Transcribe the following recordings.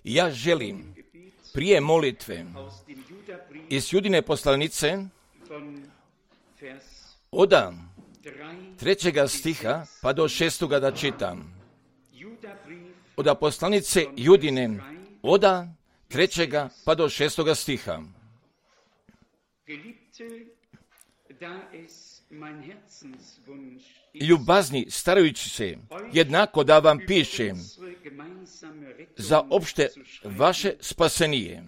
Ja želim prije molitve iz Judine poslanice od 3. stiha pa do 6. da čitam. Od poslanice Judine od 3. pa do 6. stiha. Ljubazni, starajući se jednako da vam pišem za opšte vaše spasenije,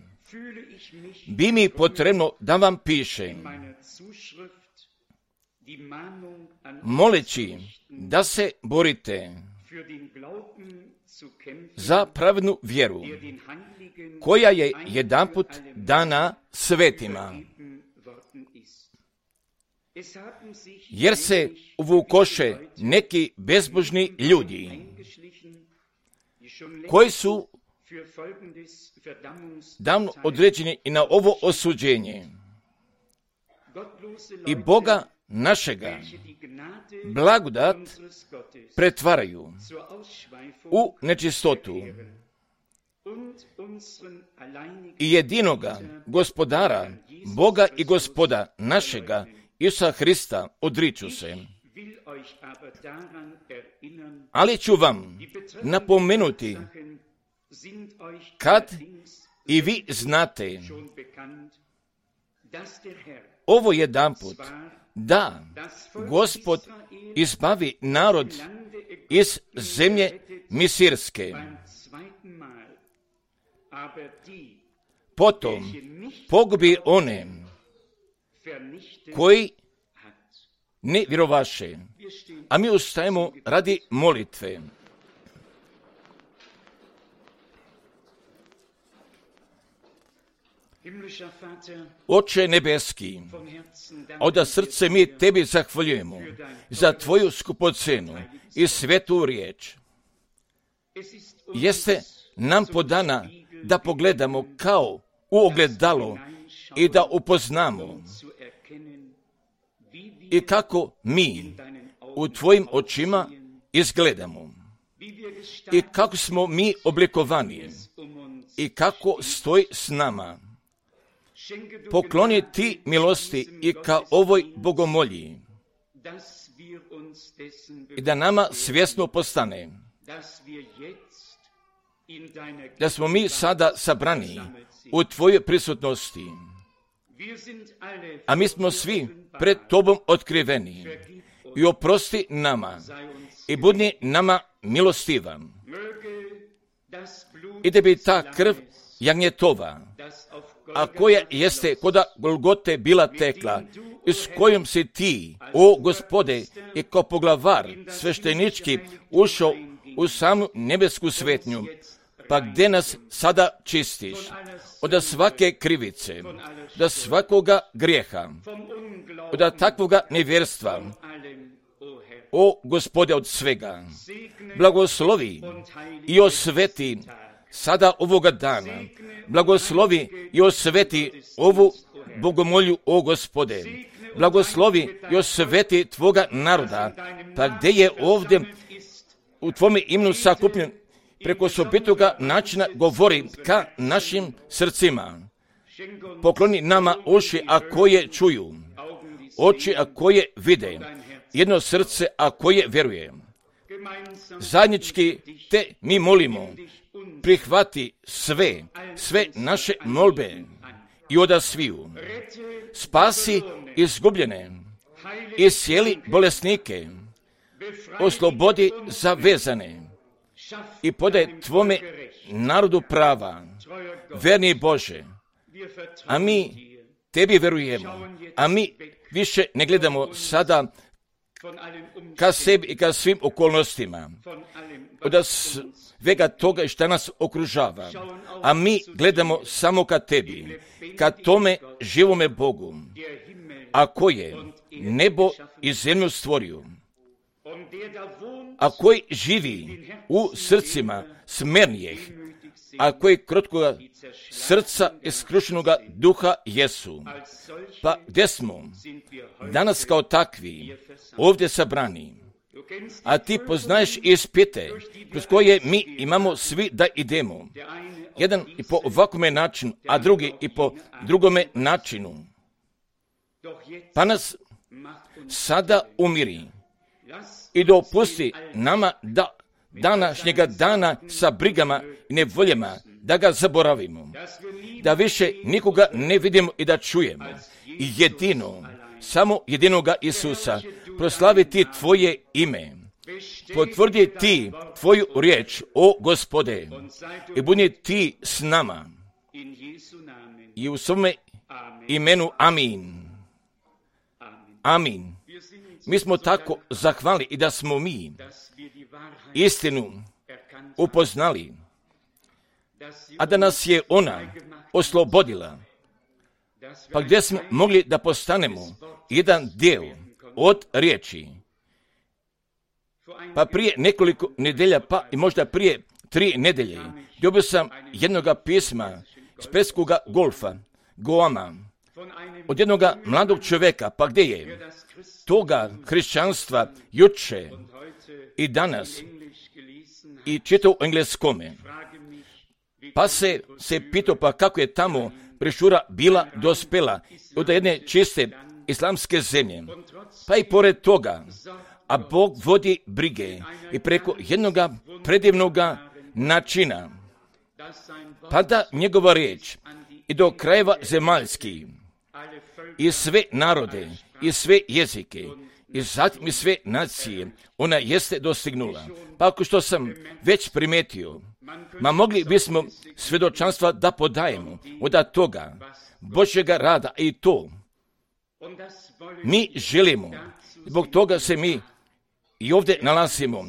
bi mi potrebno da vam pišem, moleći da se borite za pravednu vjeru, koja je jedanput dana svetima. Jer se uvukoše neki bezbožni ljudi, koji su davno određeni i na ovo osuđenje. I Boga našega blagodat pretvaraju u nečistotu i jedinoga gospodara, Boga i Gospoda našega, Isusa Hrista, odriču se. Ali ću vam napomenuti, kad i vi znate, ovo jedanput, da Gospod izbavi narod iz zemlje Misirske. Potom pogubi one koji ne vjerovaše. A mi ustajemo radi molitve. Oče nebeski, od srce mi tebi zahvaljujemo za tvoju skupocenu i svetu riječ. Jeste nam podana da pogledamo kao u ogledalo i da upoznamo i kako mi u tvojim očima izgledamo i kako smo mi oblikovani i kako stoji s nama. Pokloni ti milosti i ka ovoj bogomolji i da nama svjesno postane da smo mi sada sabrani u tvojoj prisutnosti, a mi smo svi pred tobom otkriveni i oprosti nama i budi nama milostivan i da bi ta krv jagnjetova, a koja jeste koda Golgote bila tekla, i s kojom si ti, o Gospode, i kao poglavar sveštenički ušao u samu nebesku svetnju, pa gdje nas sada čistiš od svake krivice, od svakoga grijeha, od takvoga nevjerstva, o Gospode, od svega. Blagoslovi i osveti sada ovoga dana. Blagoslovi i osveti ovu bogomolju, o Gospode. Blagoslovi i osveti tvoga naroda, pa gdje je ovdje u tvome imenu sakupljen, preko osobitoga načina govori ka našim srcima. Pokloni nama uši, a koje čuju, oči, a koje vide, jedno srce, a koje vjeruje. Zajednički te mi molimo, prihvati sve naše molbe i odasviju. Spasi izgubljene, iscijeli bolesnike, oslobodi zavezane i podaj tvome narodu prava, verni Bože. A mi tebi verujemo, a mi više ne gledamo sada ka sebi i ka svim okolnostima, od svega toga što nas okružava, a mi gledamo samo ka tebi, ka tome živome Bogu, a koje nebo i zemlju stvorio, a koji živi u srcima smernijih, a koji krotkoga srca i skrušenoga duha jesu. Pa gdje smo danas kao takvi ovdje sabrani, A ti poznaješ ispite kroz koje mi imamo svi da idemo. Jedan i po ovakvome načinu, a drugi i po drugome načinu. Pa nas sada umiri i dopusti nama da današnjega dana sa brigama i nevoljama da ga zaboravimo, da više nikoga ne vidimo i da čujemo. I samo jedinoga Isusa, proslaviti Tvoje ime, potvrdi Ti Tvoju riječ, o Gospode, i budi Ti s nama. I u svome imenu amin. Amin. Mi smo tako zahvalni i da smo mi istinu upoznali, a da nas je ona oslobodila, pa gdje smo mogli da postanemo jedan dio od riječi. Pa prije nekoliko nedelja, pa i možda prije 3 nedelje, dobio sam jednoga pisma iz Perskoga golfa, Guama, od jednoga mladog čovjeka, pa gdje je toga hrišćanstva juče i danas i čitao u engleskome. Pa se pitao pa kako je tamo brošura bila dospela od jedne čiste islamske zemlje. Pa i pored toga, a Bog vodi brige i preko jednoga predivnoga načina, pa da njegova riječ i do krajeva zemaljskih i sve narode i sve jezike i zatim i sve nacije ona jeste dostignula. Pa ako što sam već primetio, mogli bismo svjedočanstva da podajemo od toga Božjega rada i to mi želimo. Zbog toga se mi i ovdje nalazimo.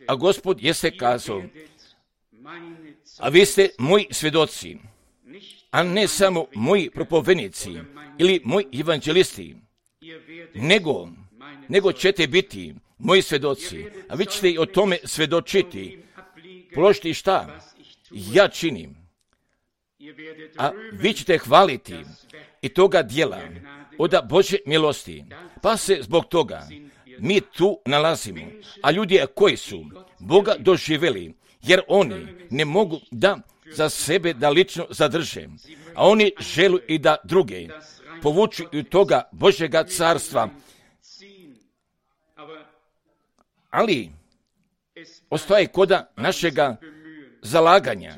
A Gospod jeste kazao, a vi ste moji svjedoci, a ne samo moji propovednici ili moji evanđelisti, nego ćete biti moji svjedoci, a vi ćete i o tome svjedočiti, položiti šta ja činim, a vi ćete hvaliti i toga djela od Božje milosti. Pa se zbog toga mi tu nalazimo, a ljudi koji su Boga doživjeli, jer oni ne mogu da za sebe da lično zadrže, a oni žele i da druge povuču i toga Božjega carstva. Ali ostaje koda našega zalaganja,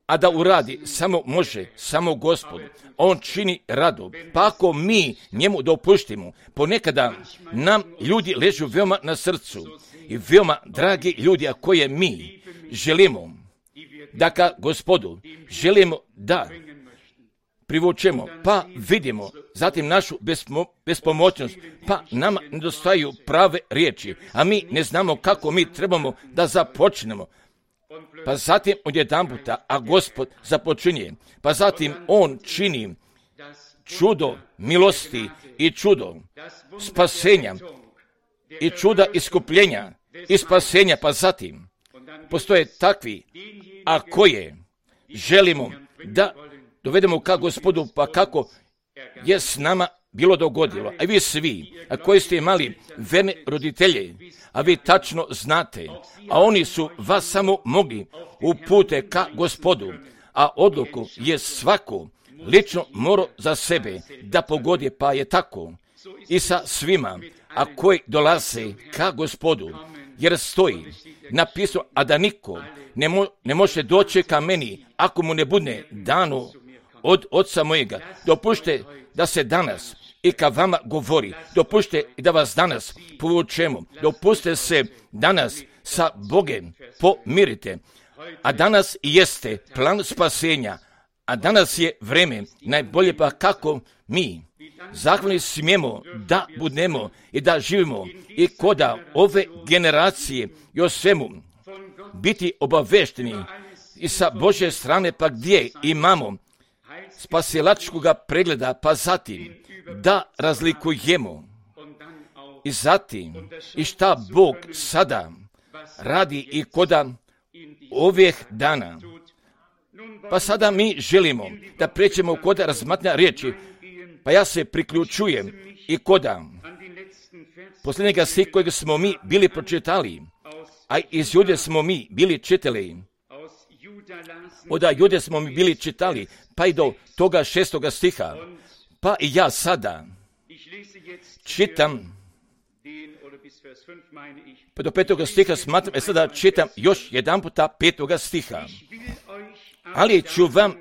a da uradi samo može, samo Gospod. On čini radu. Pa ako mi njemu dopuštimo, ponekada nam ljudi ležu veoma na srcu i veoma dragi ljudi, a koje mi želimo da ka Gospodu želimo da privučemo, pa vidimo zatim našu bespomoćnost, pa nama nedostaju prave riječi, a mi ne znamo kako mi trebamo da započnemo. Pa zatim odjedanputa, a Gospod započinje, pa zatim On čini čudo milosti i čudo spasenja i čuda iskupljenja i spasenja, pa zatim postoje takvi, a koje želimo da dovedemo ka Gospodu, pa kako je s nama bilo dogodilo. A vi svi, a koji ste imali verne roditelje, a vi tačno znate, a oni su vas samo mogli upute ka Gospodu, a odluku je svako lično morao za sebe da pogodi, pa je tako i sa svima, a koji dolaze ka Gospodu, jer stoji napisano, a da niko ne može doći ka meni ako mu ne bude dano od Oca mojega. Dopušte da se danas i ka vama govori, dopušte i da vas danas povučemo, dopuste se danas sa Bogem pomirite, a danas jeste plan spasenja, a danas je vreme najbolje, pa kako mi zahvalni smijemo da budemo i da živimo i koda ove generacije i o svemu biti obavešteni i sa Božje strane, pa gdje imamo spasilačkoga pregleda, pa zatim da razlikujemo i zatim i šta Bog sada radi i koda ovih dana. Pa sada mi želimo da pređemo koda razmatranja riječi, pa ja se priključujem i koda posljednjega stih kojeg smo mi bili pročitali, a iz Jude smo mi bili čitali. Od Jude smo mi bili čitali, pa i do toga 6. stiha. Pa i ja sada čitam, pa do 5. stiha smatram, sada čitam još jedan puta 5. stiha. Ali ću vam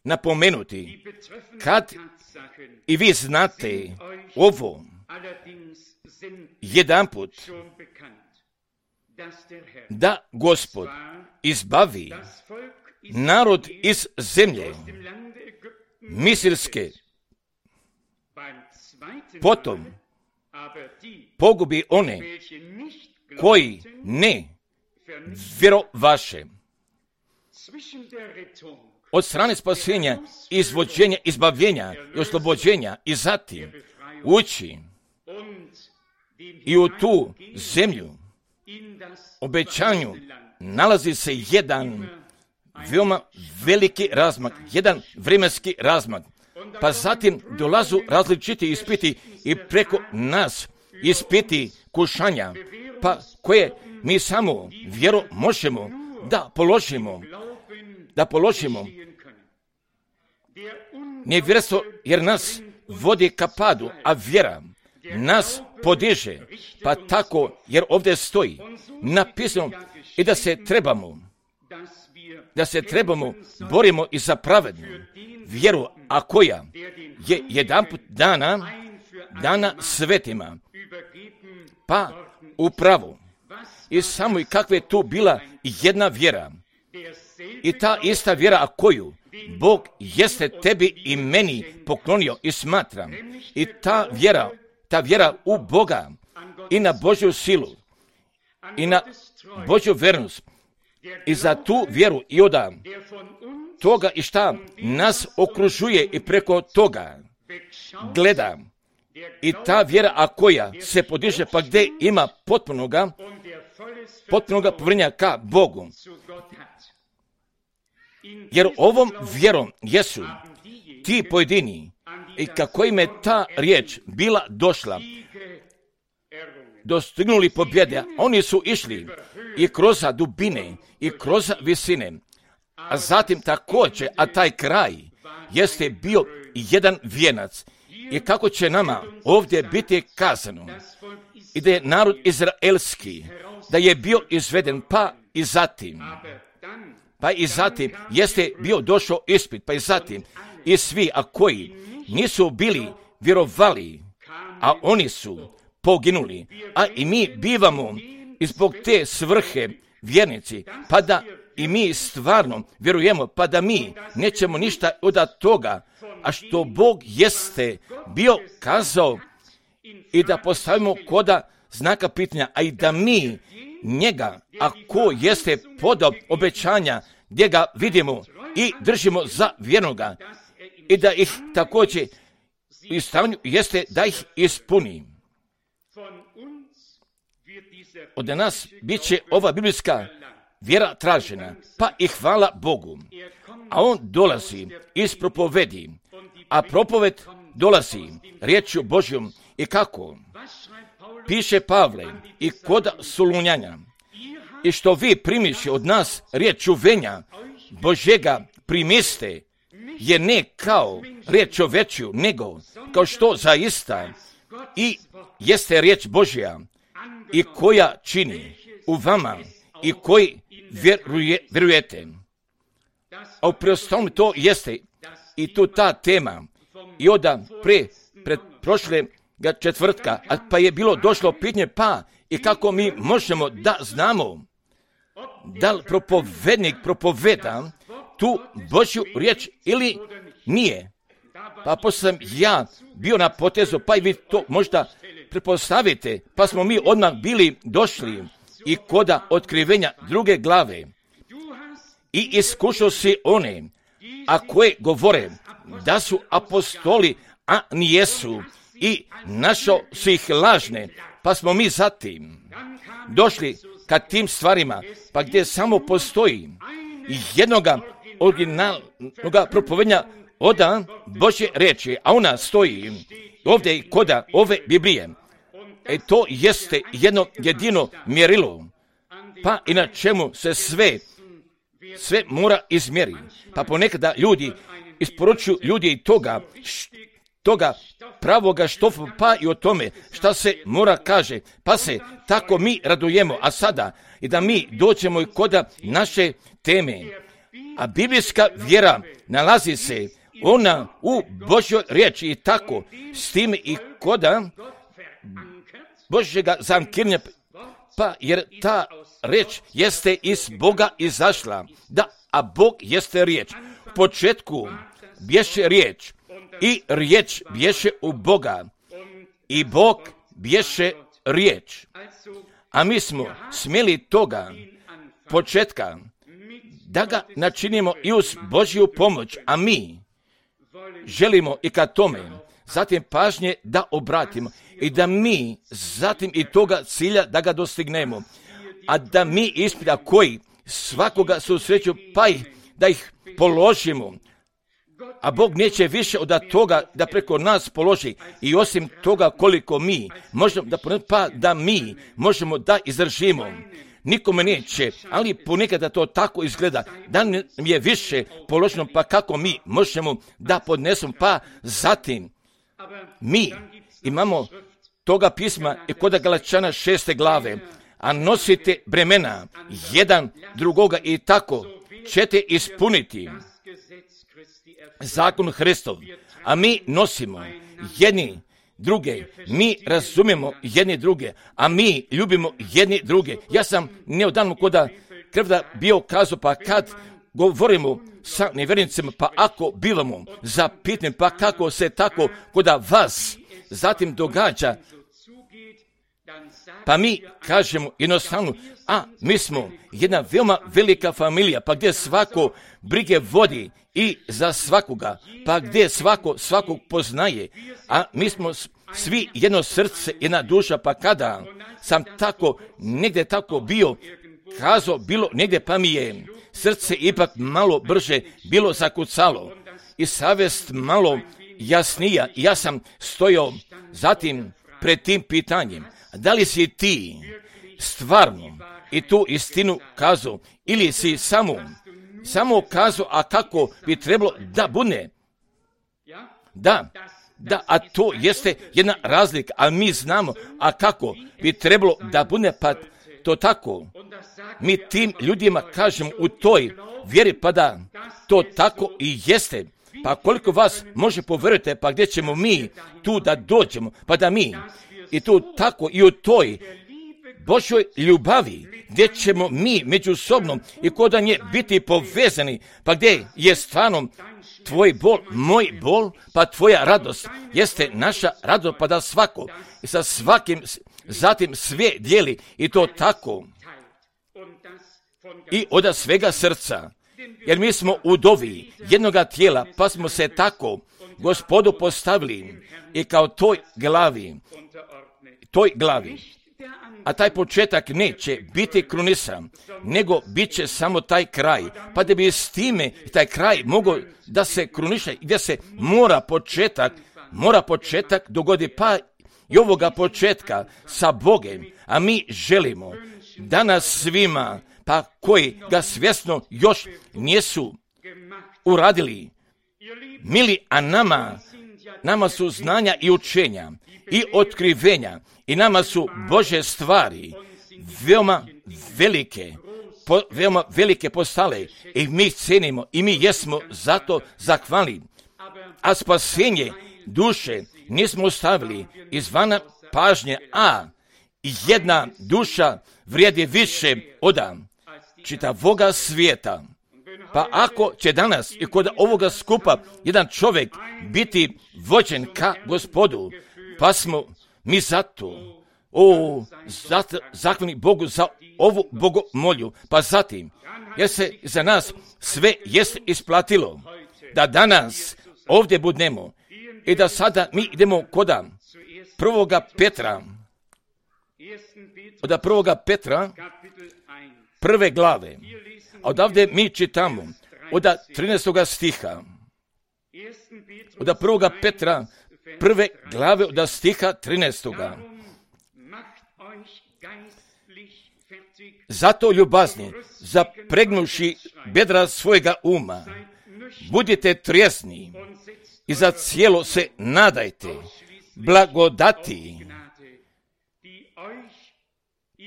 napomenuti, kad i vi znate ovo, jedanput, da Gospod izbavi narod iz zemlje Misirske, potom pogubi one koji ne vjerovaše. Od strane spasenja, izvođenja, izbavljenja i oslobođenja i zatim ući i u tu zemlju obećanju nalazi se jedan veoma veliki razmak, jedan vremenski razmak. Pa zatim dolazu različiti ispiti i preko nas ispiti kušanja, pa koje mi samo vjeru možemo da položimo. Nevjerstvo jer nas vodi ka padu, a vjera nas podiže, pa tako jer ovdje stoji napisano i da se trebamo borimo i za pravednu vjeru, a koja je jedanput dana svetima, pa upravo i samo i kakva je tu bila jedna vjera i ta ista vjera, a koju Bog jeste tebi i meni poklonio i smatram, i ta vjera u Boga i na Božju silu i na Božju vernost i za tu vjeru i od toga i šta nas okružuje i preko toga gleda, i ta vjera, a koja se podiže, pa gdje ima potpunoga povjerenja ka Bogu. Jer ovom vjerom jesu ti pojedini i kako im je ta riječ bila došla, dostignuli pobjede, oni su išli i kroz dubine i kroz visine, a zatim također, a taj kraj jeste bio jedan vijenac. I kako će nama ovdje biti kazano i da je narod izraelski, da je bio izveden, pa i zatim jeste bio došao ispit, pa i zatim i svi, a koji nisu bili vjerovali, a oni su poginuli, a i mi bivamo zbog te svrhe vjernici, pa da i mi stvarno vjerujemo, pa da mi nećemo ništa od toga, a što Bog jeste bio kazao, i da postavimo koda znaka pitanja, a i da mi njega, ako jeste podao obećanja, gdje ga vidimo i držimo za vjernoga, i da ih također i stavljanju jeste da ih ispuni. Od nas bit će ova biblijska vjera tražena, pa i hvala Bogu. A on dolazi iz propovedi, a propoved dolazi riječju Božjom. I kako? Piše Pavle i kod Solunjanja, i što vi primiši od nas riječ čuvenja Božjega primiste, je ne kao riječ čovečju, nego kao što zaista i jeste riječ Božja, i koja čini u vama i koji vjerujete. A u preostalom to jeste i tu ta tema. I onda pred prošle četvrtka, pa je bilo došlo pitanje, pa i kako mi možemo da znamo da li propovednik propoveda tu Božju riječ ili nije. Pa poslije sam ja bio na potezu, pa i vi to možda pretpostavite, pa smo mi odmah bili došli i koda otkrivenja 2. glave. I iskušao si one, a koje govore da su apostoli, a nijesu, i našao si ih lažne, pa smo mi zatim došli ka tim stvarima, pa gdje samo postoji jednoga originalnoga propovednja od Božje riječi, a ona stoji ovdje i koda ove Biblije, to jeste jedno jedino mjerilo, pa i na čemu se sve mora izmjeriti. Pa ponekada ljudi isporučuju ljudi i toga pravoga štofa, pa i o tome šta se mora kaže, pa se tako mi radujemo. A sada i da mi dođemo i koda naše teme, a biblijska vjera nalazi se ona u Božjoj riječi i tako s tim i koda Božjega zankirnja, pa jer ta riječ jeste iz Boga izašla, a Bog jeste riječ. U početku bješe riječ i riječ bješe u Boga i Bog bješe riječ. A mi smo smjeli toga početka da ga načinimo i uz Božju pomoć, a mi želimo i ka tome zatim pažnje da obratimo i da mi zatim i toga cilja da ga dostignemo, a da mi ispita koji svakoga susreću pa da ih položimo, a Bog neće više od toga da preko nas položi i osim toga koliko mi možemo da mi možemo da izdržimo. Nikome neće, ali ponekada to tako izgleda, da nam je više položeno, pa kako mi možemo da podnesemo, pa zatim mi imamo toga pisma i kod Galačana 6. glave, a nosite bremena jedan drugoga i tako ćete ispuniti zakon Hristov, a mi nosimo jedni druge, mi razumijemo jedni druge, a mi ljubimo jedni druge. Ja sam neodavno koda krvda bio kazao, pa kad govorimo sa nevjernicima, pa ako bivamo zapitani, pa kako se tako koda vas zatim događa, pa mi kažemo jednostavno, a mi smo jedna veoma velika familija, pa gdje svako brige vodi i za svakoga, pa gdje svakog poznaje, a mi smo svi jedno srce, jedna duša, pa kada sam tako negdje tako bio kazao, bilo negdje, pa mi je srce ipak malo brže bilo zakucalo i savjest malo jasnija. Ja sam stojao zatim pred tim pitanjem, da li si ti stvarno i tu istinu kazao ili si samo kazao, a kako bi trebalo da bude? Da, a to jeste jedna razlika, ali mi znamo, a kako bi trebalo da bude, pa to tako. Mi tim ljudima kažemo u toj vjeri, pa da to tako i jeste. Pa koliko vas može povjerujete, pa gdje ćemo mi tu da dođemo, pa da mi i tu tako i u toj Božoj ljubavi, gdje ćemo mi međusobno i kod nje biti povezani, pa gdje je stvarno tvoj bol, moj bol, pa tvoja radost jeste naša radost, pa da svako i sa svakim zatim sve dijeli i to tako i od svega srca, jer mi smo udovi jednoga tijela, pa smo se tako Gospodu postavili i kao toj glavi. A taj početak neće biti krunisan, nego bit će samo taj kraj, pa da bi s time taj kraj mogao da se kruniše, gdje se mora početak dogodi, pa i ovoga početka sa Bogem, a mi želimo da nas svima, pa koji ga svjesno još nisu uradili, mili, a nama su znanja i učenja i otkrivenja i nama su Božje stvari veoma velike postale i mi cenimo i mi jesmo zato zahvalni. A spasenje duše nismo ostavili izvana pažnje, a jedna duša vrijedi više od čitavoga svijeta. Pa ako će danas i kod ovoga skupa jedan čovjek biti vođen ka Gospodu, pa smo mi zato zahvalni Bogu za ovu bogomolju, pa zatim, jer se za nas sve jest isplatilo, da danas ovdje budemo i da sada mi idemo koda prvoga Petra, prve glave, a odavde mi čitamo od 13. stiha, od prvoga Petra, prve glave od stiha 13. Zato ljubazni, zapregnuši bedra svojega uma, budite trijezni i za cijelo se nadajte blagodati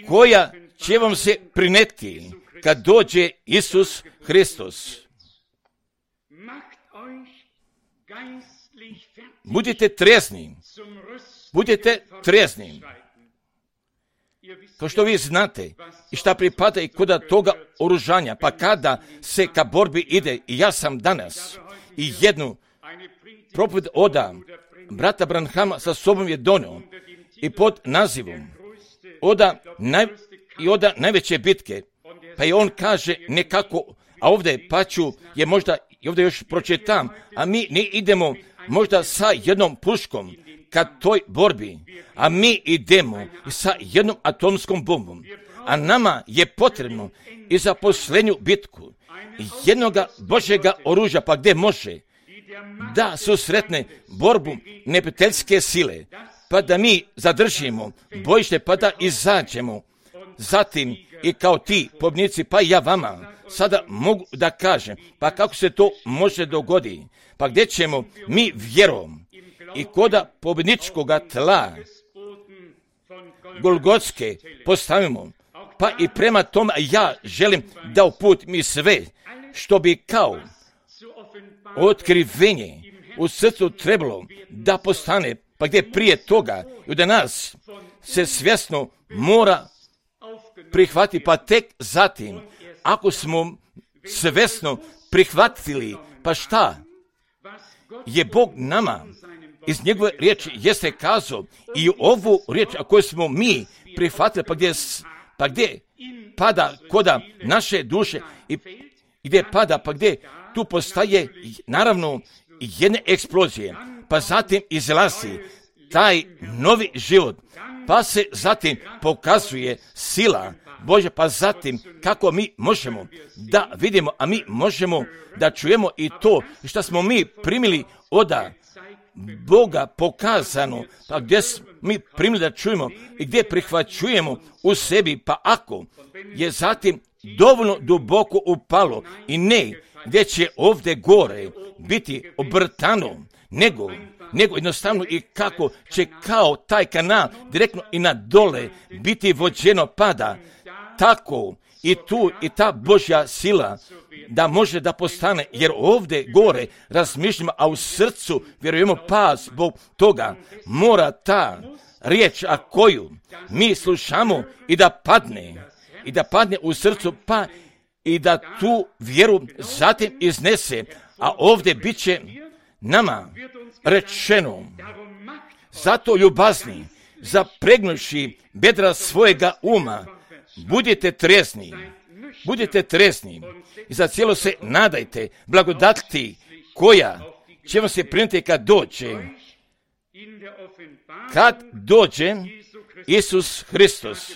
koja će vam se prineti kad dođe Isus Hristos. Budite trijezni. Budite trijezni. Kao što vi znate i šta pripada i kod toga oružanja, pa kada se ka borbi ide, i ja sam danas i jednu propoved oda brata Branhama sa sobom je donio i pod nazivom oda najveće bitke, pa i on kaže nekako, a ovdje paću je možda, i ovdje još pročitam, a mi ne idemo možda sa jednom puškom ka toj borbi, a mi idemo sa jednom atomskom bombom, a nama je potrebno i za posljednju bitku jednoga Božjega oružja, pa gdje može da susretne borbu neprijateljske sile, pa da mi zadržimo bojište, pa da izađemo. Zatim i kao ti pobjednici, pa i ja vama sada mogu da kažem, pa kako se to može dogoditi, pa gdje ćemo mi vjerom i koda pobjedničkoga tla Golgotske postavimo, pa i prema tome ja želim da uput mi sve što bi kao otkrivenje u srcu trebalo da postane, pa gdje prije toga i da nas se svjesno mora prihvati, pa tek zatim, ako smo svjesno prihvatili, pa šta je Bog nama iz njegove riječi jeste kazao i ovu riječ, a koju smo mi prihvatili, pa gdje pada koda naše duše i gdje pada, pa gdje tu postaje naravno jedne eksplozije, pa zatim izlazi taj novi život, pa se zatim pokazuje sila Božja, pa zatim kako mi možemo da vidimo, a mi možemo da čujemo i to što smo mi primili od Boga pokazano, pa gdje mi primili da čujemo i gdje prihvaćujemo u sebi, pa ako je zatim dovoljno duboko upalo i ne gdje će ovdje gore biti obrtano, nego jednostavno i kako će kao taj kanal direktno i na dole biti vođeno pada, tako i tu i ta Božja sila da može da postane, jer ovdje gore razmišljamo, a u srcu vjerujemo, pa zbog toga mora ta riječ, a koju mi slušamo i da padne u srcu, pa i da tu vjeru zatim iznese, a ovdje bit će nama rečeno, zato ljubazni, zapregnuši bedra svojega uma, budite trijezni i za cijelo se nadajte blagodati koja će vam se prinijeti kad dođe Isus Hristos.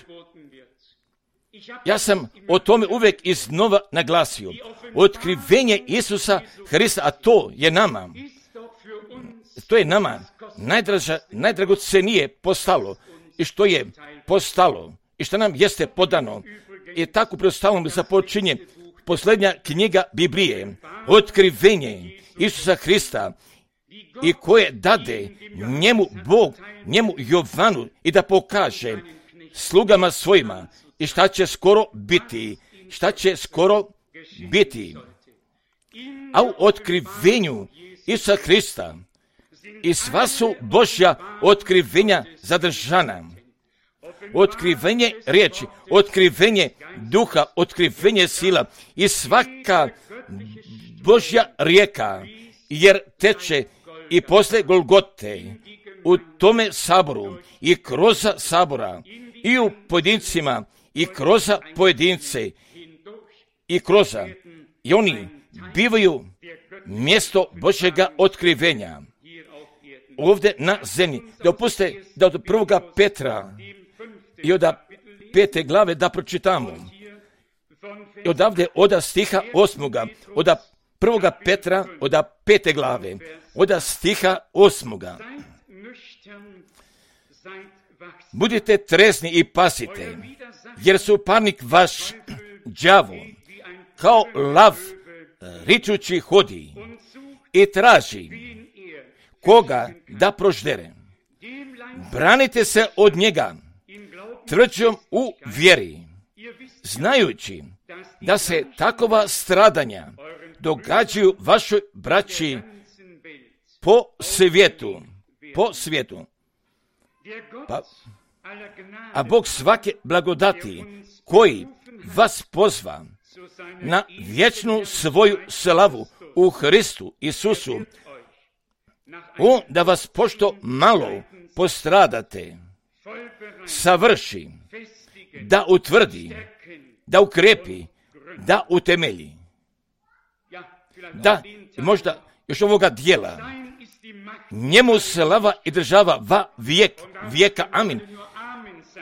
Ja sam o tome uvijek iznova naglasio. Otkrivenje Isusa Hrista, a to je nama najdragocenije postalo i što je postalo i što nam jeste podano. I tako predstavljamo započinje posljednja knjiga Biblije, otkrivenje Isusa Hrista, i koje dade njemu Bog, njemu Jovanu, i da pokaže slugama svojima i šta će skoro biti. A u otkrivenju Isusa Hrista i sva su Božja otkrivenja zadržana. Otkrivenje riječi, otkrivenje duha, otkrivenje sila i svaka Božja rijeka, jer teče i posle Golgote u tome saboru i kroz sabora i u pojedincima i kroz pojedince i oni bivaju mjesto Božjega otkrivenja ovdje na zemlji. Dopustite da od 1. Petra i od 5. glave da pročitamo. I odavde od stiha 8. od 1. Petra od 5. glave od stiha 8. Budite trezni i pasite, jer suparnik vaš đavo kao lav ričući hodi i traži koga da proždere. Branite se od njega tvrđom u vjeri, znajući da se takova stradanja događaju vašoj braći po svijetu. A Bog svake blagodati koji vas pozva na vječnu svoju slavu u Hristu Isusu, on da vas pošto malo postradate, savrši, da utvrdi, da ukrepi, da utemelji. Da, možda još ovoga dijela, njemu slava i država va vijeka, amin.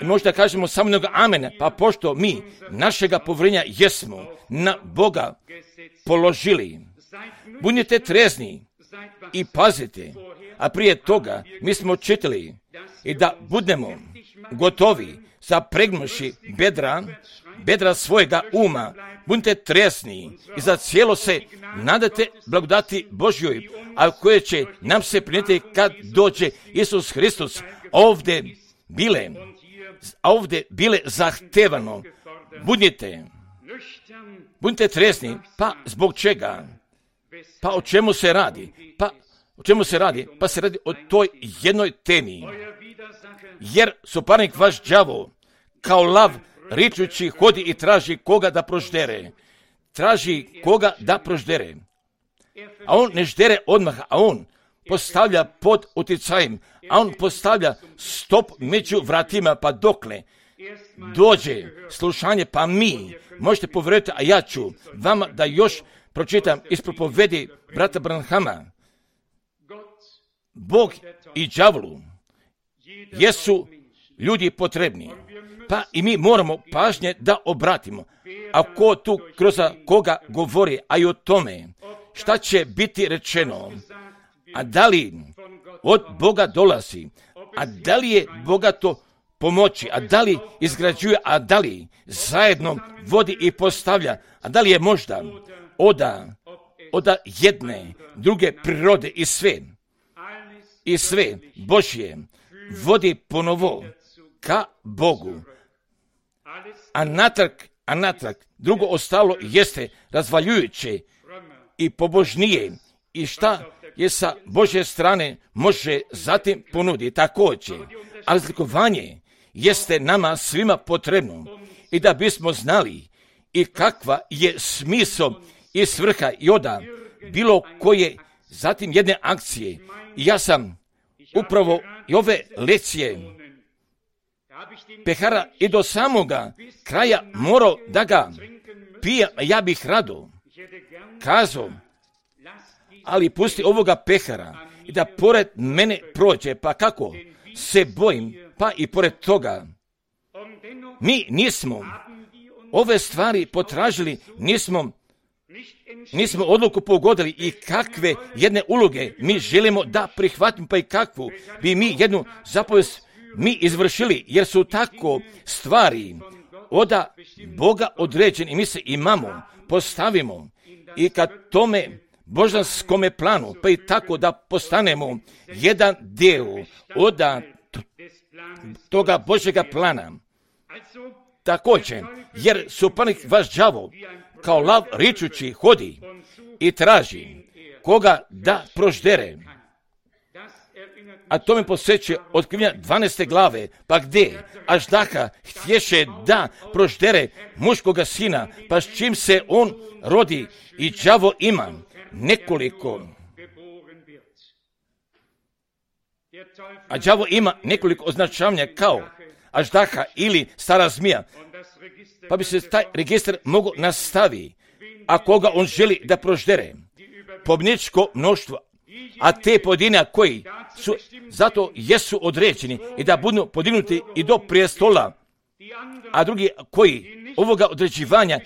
Možda kažemo samo jednog amena, pa pošto mi našega povjerenja jesmo na Boga položili, budite trezni i pazite, a prije toga mi smo čitali i da budemo gotovi zapregnuši bedra svojega uma, budite tresni i za cijelo se nadate blagodati Božjoj, a koje će nam se prinijeti kad dođe Isus Hristos. Ovdje bile zahtevano, budite tresni, pa zbog čega? Pa o čemu se radi? Pa se radi o toj jednoj temi. Jer suparnik vaš đavo kao lav ričući hodi i traži koga da proždere. A on ne ždere odmah, a on postavlja pod utjecajem, a on postavlja stop među vratima, pa dokle dođe slušanje, pa mi možete povjeriti, a ja ću vama da još pročitam iz propovedi brata Branhama. Bog i đavolu jesu ljudi potrebni, pa i mi moramo pažnje da obratimo. A ko tu kroz koga govori, a i o tome šta će biti rečeno, a da li od Boga dolazi, a da li je bogato pomoći, a da li izgrađuje, a da li zajedno vodi i postavlja, a da li je možda oda jedne, druge prirode i sve Božje vodi ponovo ka Bogu. A natrag drugo ostalo jeste razvaljujuće i pobožnije i šta je sa Božje strane može zatim ponuditi također. A razlikovanje jeste nama svima potrebno i da bismo znali i kakva je smisao i svrha i oda bilo koje zatim jedne akcije. I ja sam upravo i ove lekcije pehara i do samoga kraja morao da ga pijem, ja bih rado kazao, ali pusti ovoga pehara i da pored mene prođe, pa kako se bojim, pa i pored toga. Mi nismo ove stvari potražili, nismo odluku pogodili i kakve jedne uloge mi želimo da prihvatimo, pa i kakvu bi mi jednu zapovijest mi izvršili, jer su tako stvari od Boga određeni i mi se imamo, postavimo i kad tome božanskome planu, pa i tako da postanemo jedan dio od toga Božjega plana. Također, jer suparnik vaš đavo kao lav ričući hodi i traži koga da proždere. A to me posjeća otkrivenja 12. glave, pa gdje Aždaha htješe da proždere muškoga sina, pa s čim se on rodi i đavo ima nekoliko označavanja kao Aždaha ili stara zmija, pa bi se taj registar mogao nastaviti, a koga on želi da proždere. Pobjedničko mnoštvo, a te pojedine koji su zato jesu određeni i da budu podignuti i do prijestola, a drugi koji ovoga određivanja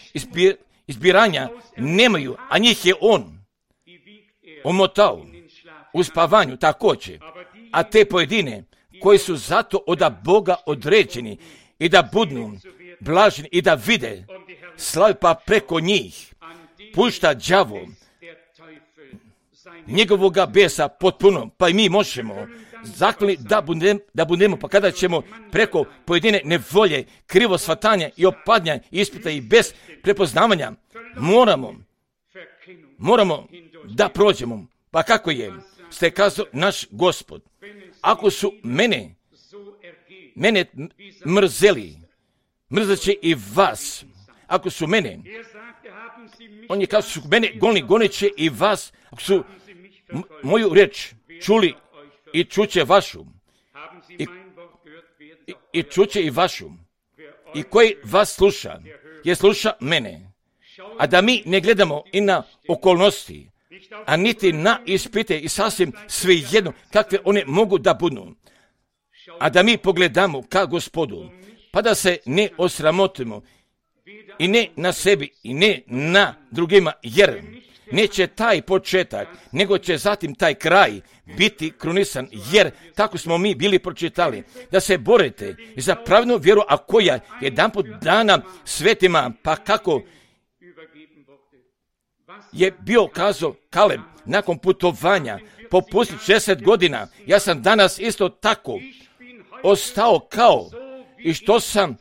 izbiranja nemaju, a njih je on omotao u spavanju također, a te pojedine koji su zato od Boga određeni i da budu blaženi i da vide slavu, pa preko njih pušta đavo njegovoga besa potpuno, pa i mi možemo zakloni da budemo, pa kada ćemo preko pojedine nevolje, krivo shvatanja i opadnja, ispita i bez prepoznavanja, moramo da prođemo. Pa kako je? Ste kazao naš Gospod, ako su mene mrzeli, mrzet će i vas. Ako su mene, on je kazao, su mene gonit će i vas. Ako su moju reč čuli i čuće vašu, i čuće i vašu, i koji vas sluša, je sluša mene. A da mi ne gledamo i na okolnosti, a niti na ispite i sasvim svejedno kakve one mogu da budu. A da mi pogledamo ka Gospodu, pa da se ne osramotimo i ne na sebi i ne na drugima, jer neće taj početak, nego će zatim taj kraj biti krunisan, jer tako smo mi bili pročitali, da se borite za pravilnu vjeru, a koja jedanput dana svetima, pa kako je bio kazao Kaleb nakon putovanja po pustinji 60 godina, ja sam danas isto tako ostao kao i što sam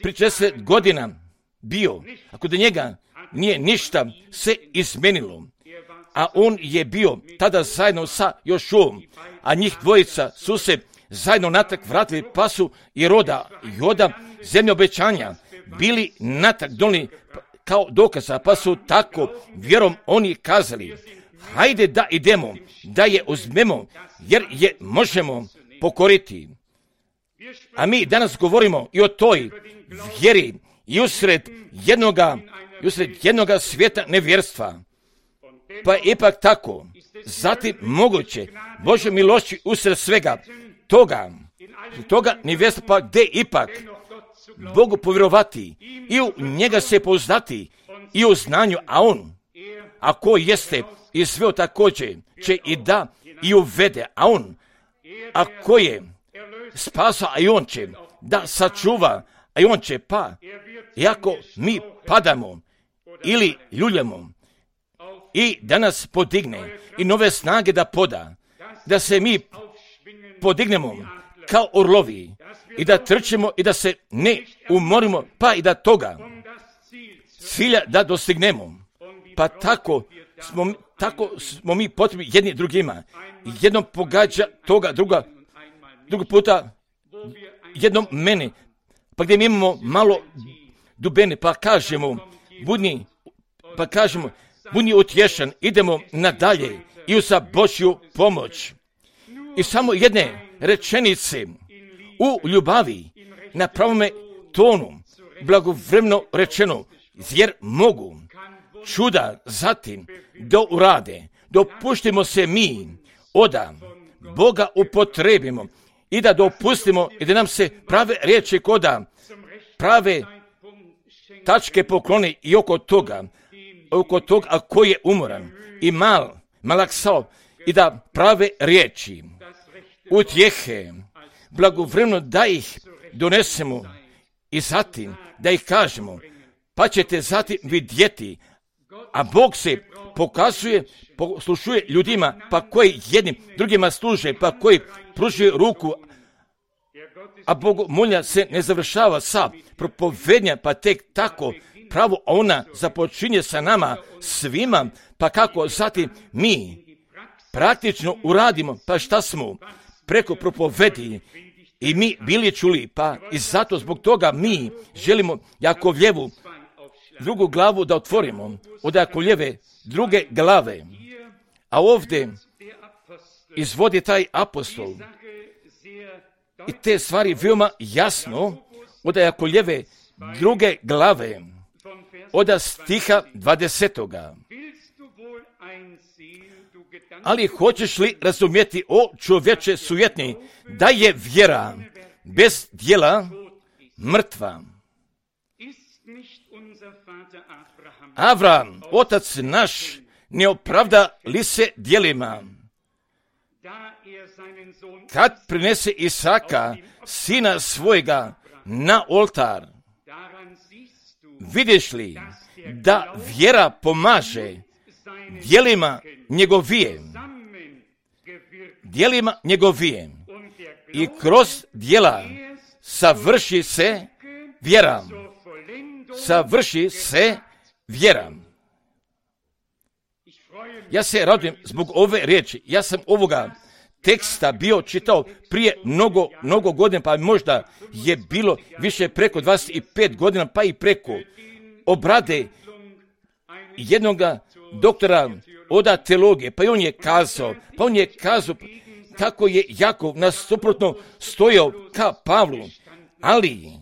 pri 60 godina bio, ako da njega nije ništa se izmenilo, a on je bio tada zajedno sa Jošuom, a njih dvojica su se zajedno natrag vratili, pa su i Joda zemlje obećanja bili natrag donijeli kao dokaza, pa su tako vjerom oni kazali, hajde da idemo, da je uzmemo, jer je možemo pokoriti. A mi danas govorimo i o toj vjeri i usred jednoga svijeta nevjerstva. Pa ipak tako, zatim moguće Božje milošću usred svega toga nevjerstva, pa gdje ipak Bogu povjerovati i u njega se pouzdati i u znanju, a on, ako jeste i sve također će i da i uvede, a on, ako je spasa, a i on će da sačuva, a i on će, pa iako mi padamo ili ljuljamo i da nas podigne i nove snage da poda, da se mi podignemo kao orlovi i da trčimo i da se ne umorimo, pa i da toga cilja da dostignemo. Pa tako smo mi potrebni jedni drugima. Jednom pogađa toga, drugo puta jednom mene, pa gdje mi imamo malo dubene, pa kažemo, budni utješan, idemo nadalje i za Božju pomoć. I samo jedne rečenice u ljubavi, na pravome tonu, blagovremeno rečeno, jer mogu čuda zatim da urade. Dopuštimo se mi oda Boga upotrebimo i da dopustimo i da nam se prave riječi koda prave tačke pokloni i oko toga a koji je umoran i malaksao i da prave riječi utjehe blagovremeno da ih donesemo i zatim da ih kažemo, pa ćete zatim vidjeti, a Bog se pokazuje, poslušuje ljudima, pa koji jednim drugima služe, pa koji pružuje ruku, a bogomolja se ne završava sa propovednja, pa tek tako pravo ona započinje sa nama svima, pa kako zatim mi praktično uradimo, pa šta smo preko propovedi i mi bili čuli, pa i zato zbog toga mi želimo Jakovljevu drugu glavu da otvorimo, od Jakovljeve druge glave, a ovdje izvodi taj apostol i te stvari veoma jasno od Jakovljeve druge glave, od stiha 20. Ali hoćeš li razumjeti, o čovječe sujetni, da je vjera bez djela mrtva? Avram, otac naš, ne opravda li se djelima, kad prinese Isaka, sina svojega, na oltar? Vidiš li da vjera pomaže djelima njegovije i kroz djela savrši se vjera. Ja se radujem zbog ove riječi. Ja sam ovoga teksta bio čitao prije mnogo godina, pa možda je bilo više preko 25 godina, pa i preko obrade jednog doktora oda teologije, pa on je kazao kako je Jakov nasuprotno stojao ka Pavlu, ali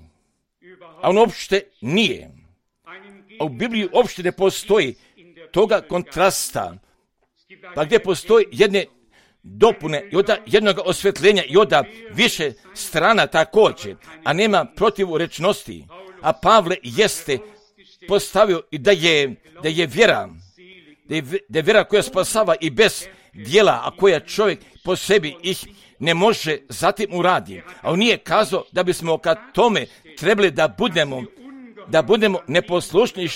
on uopšte nije. A u Bibliji uopšte ne postoji toga kontrasta, pa gdje postoji jedne dopune i od jednog osvjetljenja i od više strana također, a nema protivrečnosti. A Pavle jeste postavio i da je vjera koja spasava i bez djela, a koja čovjek po sebi ih ne može zatim uradi. A on nije kazao da bismo ka tome trebali da budemo neposlušni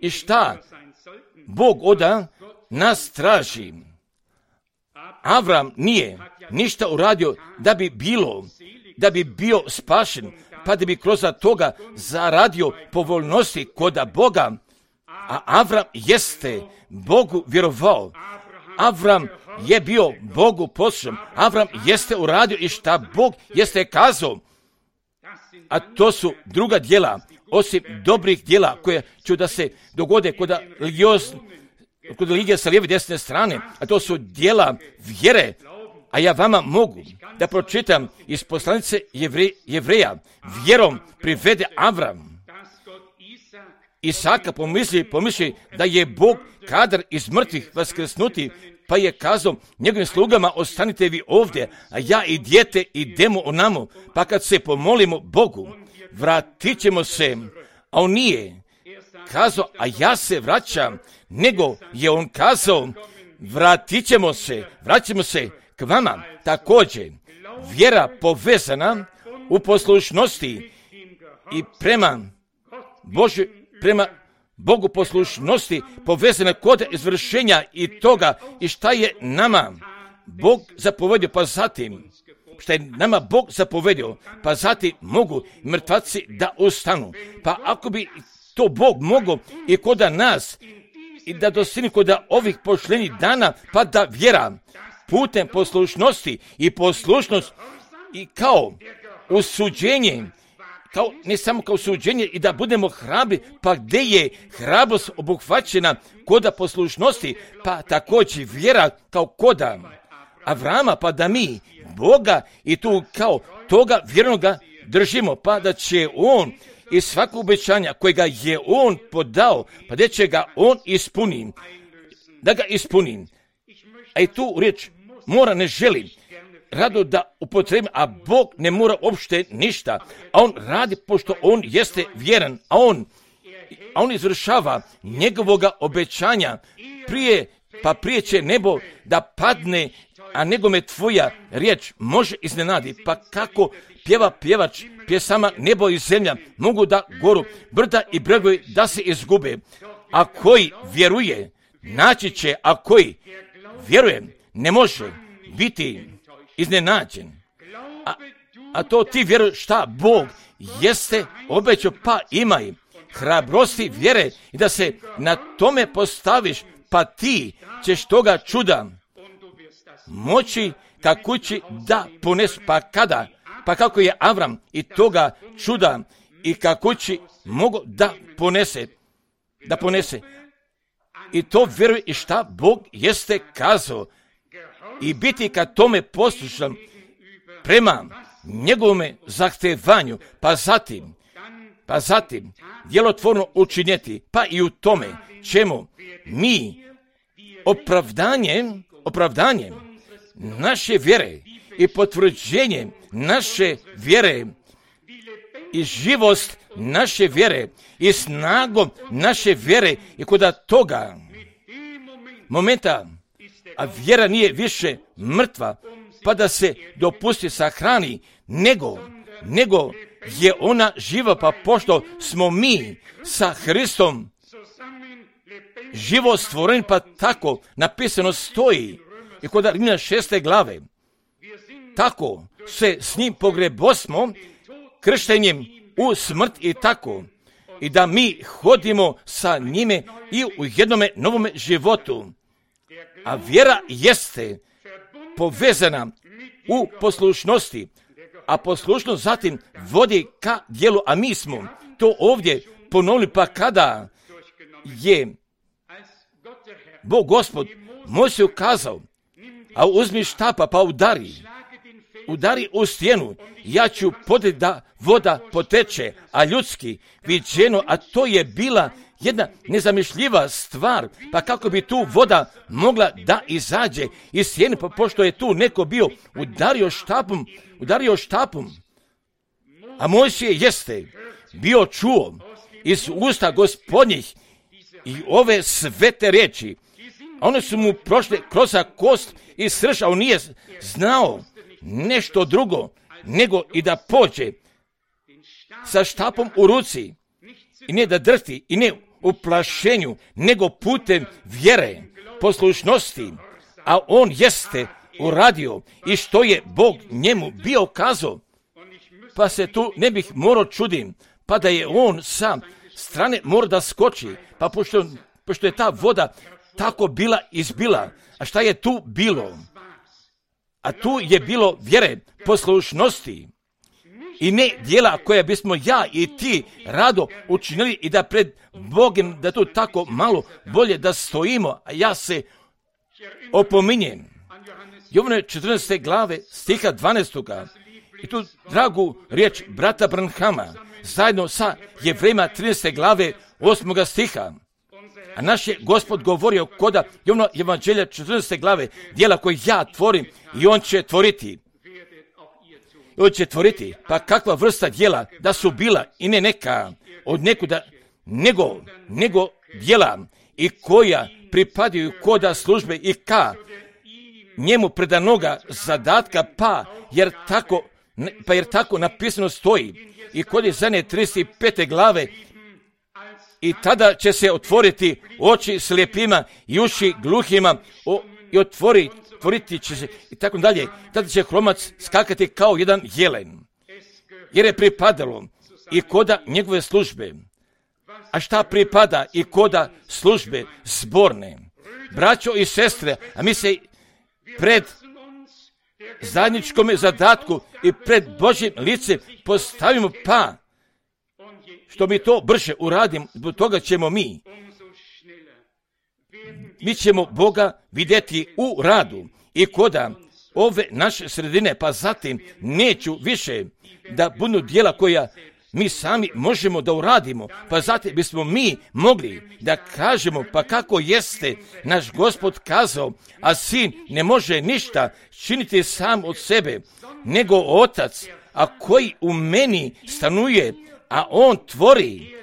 i šta Bog oda nas traži. Avram nije ništa uradio da bi bio spašen, pa da bi kroz toga zaradio povoljnosti koda Boga. A Avram jeste Bogu vjerovao. Avram je bio Bogu poslušan. Avram jeste uradio i šta Bog jeste kazao. A to su druga djela, osim dobrih djela koje će da se dogode kod religije sa lijeve i desne strane, a to su djela vjere. A ja vama mogu da pročitam iz poslanice Jevreja. Vjerom privede Avram Isaka, pomisli da je Bog kadar iz mrtvih vaskrsnuti, pa je kazao njegovim slugama: ostanite vi ovdje, a ja i dijete idemo onamo, pa kad se pomolimo Bogu, vratit ćemo se. A on nije kazao, a ja se vraćam, nego je on kazao, vratit ćemo se k vama. Također, vjera povezana u poslušnosti i prema Bogu poslušnosti povezana kod izvršenja i toga i šta je nama Bog zapovedio, pa zatim šta je nama Bog zapovedio, pa zatim mogu mrtvaci da ustanu. Pa ako bi to Bog mogao i kod nas i da dostigni kod ovih pošljenih dana, pa da vjera putem poslušnosti i poslušnost i kao usuđenje, ne samo kao suđenje i da budemo hrabri, pa gdje je hrabrost obuhvaćena koda poslušnosti, pa također vjera kao koda Avrama, pa da mi Boga i tu kao toga vjernoga držimo, pa da će on i svako obećanja kojega je on podao, pa da će ga on da ga ispuni. A i tu riječ mora, ne želi rado da upotrebi, a Bog ne mora uopšte ništa, a on radi pošto on jeste vjeran, a on izvršava njegovoga obećanja prije će nebo da padne, a nego me tvoja riječ može iznenadi. Pa kako pjeva pjevač pjesama nebo i zemlja mogu da goru, brda i bregovi da se izgube, a koji vjeruje naći će, a koji vjeruje ne može biti iznenađen. A to ti vjeruješ šta Bog jeste obećao, pa imaj hrabrosti vjere i da se na tome postaviš, pa ti ćeš toga čuda moći kako će da ponesi. Pa kada? Pa kako je Avram i toga čuda i kako će mogo da ponese. I to vjeruje i šta Bog jeste kazao i biti ka tome poslušan prema njegovome zahtevanju, pa zatim djelotvorno učinjeti, pa i u tome ćemo mi opravdanjem naše vjere i potvrđenjem naše vjere i živost naše vjere i snagom naše vjere i kod toga momenta, a vjera nije više mrtva, pa da se dopusti sahrani, nego nego je ona živa, pa pošto smo mi sa Hristom živo stvoren, pa tako napisano stoji i kod Rimljana 6. glave. Tako se s njim pogrebosmo krštenjem u smrt i tako. I da mi hodimo sa njime i u jednome novome životu. A vjera jeste povezana u poslušnosti, a poslušnost zatim vodi ka djelu, a mi smo to ovdje ponovili, pa kada je Bog Gospod Mojsiju ukazao, a uzmi štapa pa udari u stijenu, ja ću podeti da voda poteče, a ljudski viđeno, a to je bila jedna nezamišljiva stvar, pa kako bi tu voda mogla da izađe iz stijene, pa pošto je tu neko bio udario štapom, a Mojsije jeste bio čuo iz usta Gospodnjih i ove svete riječi, a one su mu prošle kroz kost i srž, a on nije znao nešto drugo nego i da pođe sa štapom u ruci i ne da drhti i ne u plašenju, nego putem vjere, poslušnosti, a on jeste uradio i što je Bog njemu bio kazao, pa se tu ne bih morao čudim, pa da je on sa strane mora da skoči, pa pošto je ta voda tako bila izbila, a šta je tu bilo? A tu je bilo vjere, poslušnosti i ne djela koja bismo ja i ti rado učinili i da pred Bogom da tu tako malo bolje da stojimo, a ja se opominjem. Jovane 14. glave stiha 12. I tu dragu riječ brata Branhama zajedno sa Jevrejima 13. glave 8. stiha. A naš je Gospod govorio koda Jovana Evanđelja 14. glave, djela koje ja tvorim i on će tvoriti. Pa kakva vrsta djela da su bila i ne neka od nekuda, nego djela i koja pripadaju koda službe i ka njemu predanoga zadatka, jer tako napisano stoji i kod Izaije 35. glave, i tada će se otvoriti oči slijepima i uši gluhima i otvoriti će se i tako dalje. Tada će hromac skakati kao jedan jelen, jer je pripadalo i koda njegove službe. A šta pripada i koda službe zborne? Braćo i sestre, a mi se pred zajedničkom zadatku i pred Božjim licem postavimo, pa što mi to brže uradimo, zbog toga ćemo mi ćemo Boga vidjeti u radu i koda ove naše sredine, pa zatim neću više da budu djela koja mi sami možemo da uradimo, pa zatim bismo mi mogli da kažemo, pa kako jeste naš Gospod kazao, a sin ne može ništa činiti sam od sebe, nego otac, a koji u meni stanuje, a on tvori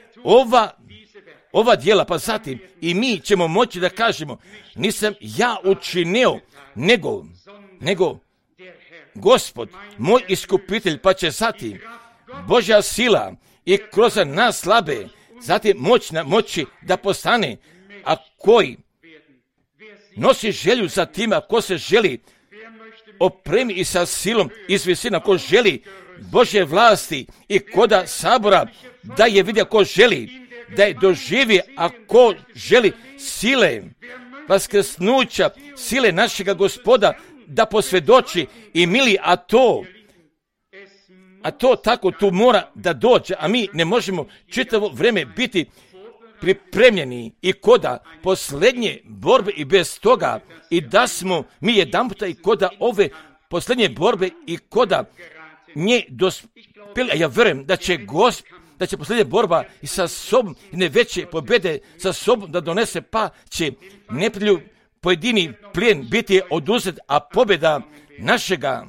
ova djela, pa zatim i mi ćemo moći da kažemo, nisam ja učinio, nego Gospod, moj iskupitelj, pa će zatim Božja sila i kroz nas slabe, zatim moći da postane, a koji nosi želju za tima, ko se želi opremi i sa silom iz visina, ko želi Božje vlasti i koda sabora, da je vidio ko želi, da je doživi, a ko želi sile vaskrsnuća, sile našega Gospoda, da posvjedoči i mili, a to tako tu mora da dođe, a mi ne možemo čitavo vrijeme biti pripremljeni i koda posljednje borbe i bez toga, i da smo mi jedanputa i koda ove posljednje borbe i koda nje dospjeli, a ja vjerujem da će posljednja borba i sa sobom i ne veće pobjede sa sobom da donese, pa će neprijatelju pojedini plijen biti oduzet, a pobjeda našega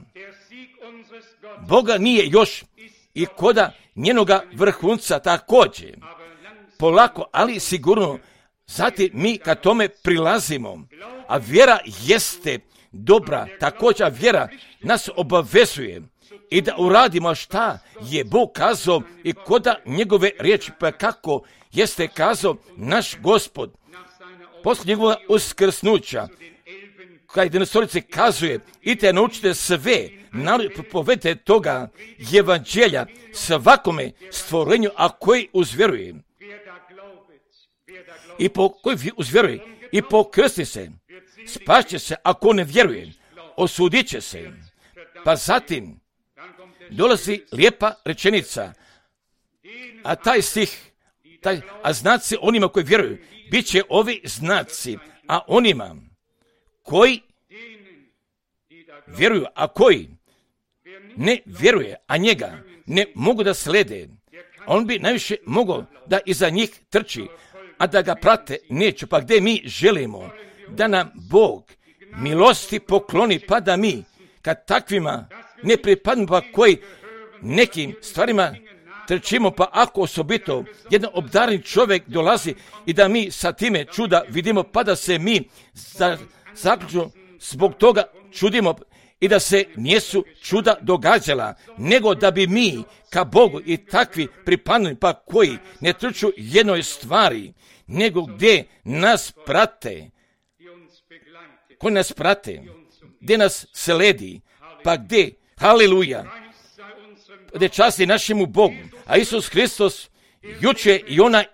Boga nije još i koda njenoga vrhunca također. Polako, ali sigurno, zatim mi ka tome prilazimo, a vjera jeste dobra, također vjera nas obavezuje i da uradimo šta je Bog kazao i koda njegove riječi, pa kako jeste kazao naš Gospod. Poslije njegova uskrsnuća, kada jedanaestorici kazuje, idite naučite sve, povedite toga evanđelja svakome stvorenju, a koji uzvjeruje. I koji uzvjeruje i pokrsti se, spašće se, ako ne vjeruje, osudit će se. Pa zatim dolazi lijepa rečenica, a taj stih, a znaci onima koji vjeruju, bit će ovi znaci, a onima koji vjeruju, a koji ne vjeruje, a njega ne mogu da slede, on bi najviše mogao da iza njih trči, a da ga prate neće. Pa gdje mi želimo da nam Bog milosti pokloni, pa da mi kad takvima ne pripadnemo, pa koji nekim stvarima trčimo, pa ako osobito jedan obdarni čovjek dolazi i da mi sa time čuda vidimo, pa da se mi zaključno zbog toga čudimo i da se nijesu čuda događala, nego da bi mi ka Bogu i takvi pripadnuli, pa koji ne trču jednoj stvari, nego gdje nas prate, koji nas prate, gdje nas sledi, pa gdje, haleluja, gdje časti našemu Bogu, a Isus Hristos juče i ona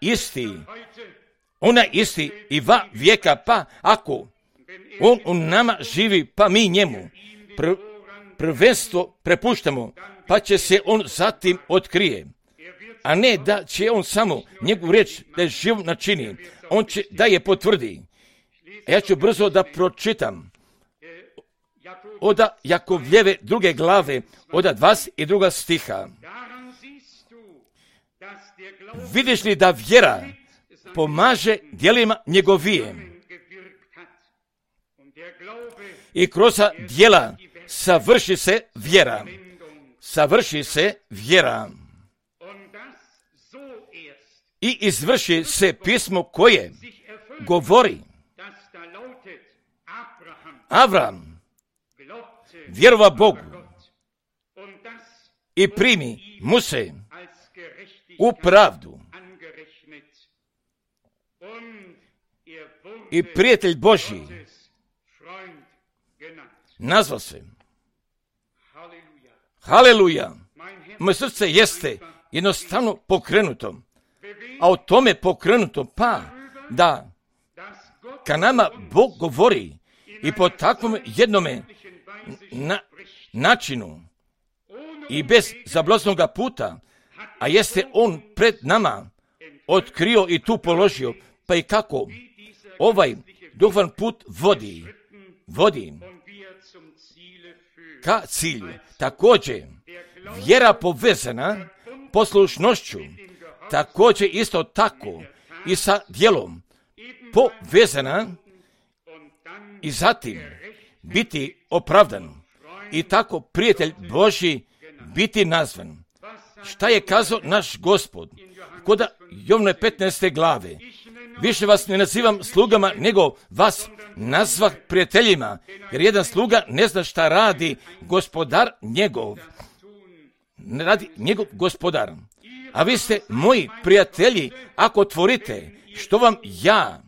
isti i va vijeka, pa ako on u nama živi, pa mi njemu prvenstvo prepuštamo, pa će se on zatim otkrije. A ne da će on samo njegovu riječ da je živ načini, on će da je potvrdi. A ja ću brzo da pročitam od Jakovljeve 2. glave, od 22. stiha. Vidiš li da vjera pomaže djelima njegovije i kroz djela savrši se vjera. Savrši se vjera. I izvrši se pismo koje govori. Avram vjerova Bogu i primi mu se u pravdu. I prijatelj Božji nazva se. Haleluja. Moje srce jeste jednostavno pokrenuto. A o tome pokrenuto, pa da ka nama Bog govori i po takvom jednome načinu i bez zablaznoga puta, a jeste on pred nama otkrio i tu položio, pa i kako ovaj duhovan put vodi ka cilju. Također, vjera povezana poslušnošću, također isto tako i sa djelom povezana i zatim biti opravdan i tako prijatelj Božji biti nazvan. Šta je kazao naš Gospod? Kod Jovne 15. glave. Više vas ne nazivam slugama, nego vas nazvah prijateljima, jer jedan sluga ne zna šta radi gospodar njegov. Ne radi njegov gospodar. A vi ste moji prijatelji, ako tvorite što vam ja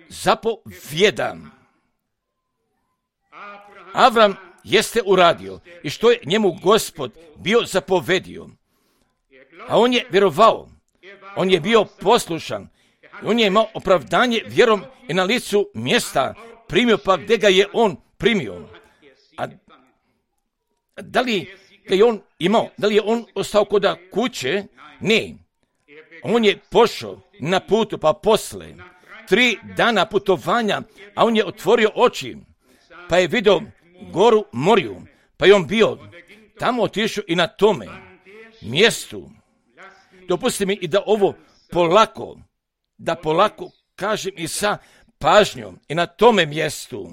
zapovjedam. Avram jeste uradio i što je njemu Gospod bio zapovedio. A on je vjerovao, on je bio poslušan, on je imao opravdanje vjerom i na licu mjesta primio, pa gdje ga je on primio. A da li ga je on imao, da li je on ostao kod kuće? Ne. On je pošao na putu, pa posle 3 dana putovanja, a on je otvorio oči, pa je vidio goru Moriju, pa je on bio tamo, otišao i na tome mjestu. Dopustite mi i da ovo polako kažem i sa pažnjom i na tome mjestu.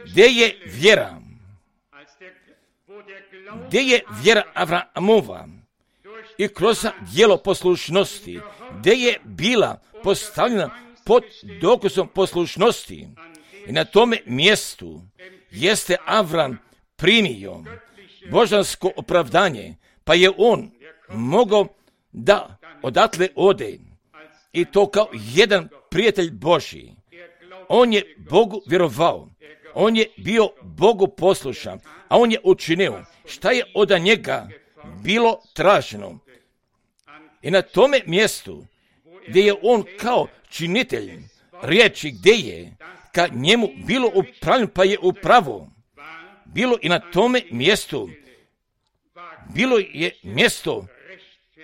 Gdje je vjera? Gdje je vjera Avramova? I kroz djelo poslušnosti, gdje je bila postavljena pod dokazom poslušnosti. I na tome mjestu jeste Avram primio božansko opravdanje, pa je on mogao da odatle ode. I to kao jedan prijatelj Božji. On je Bogu vjerovao. On je bio Bogu poslušan, a on je učinio šta je od njega bilo traženo. I na tome mjestu gdje je on kao činitelj riječi, gdje je ka njemu bilo upravljeno, pa je upravo bilo i na tome mjestu bilo je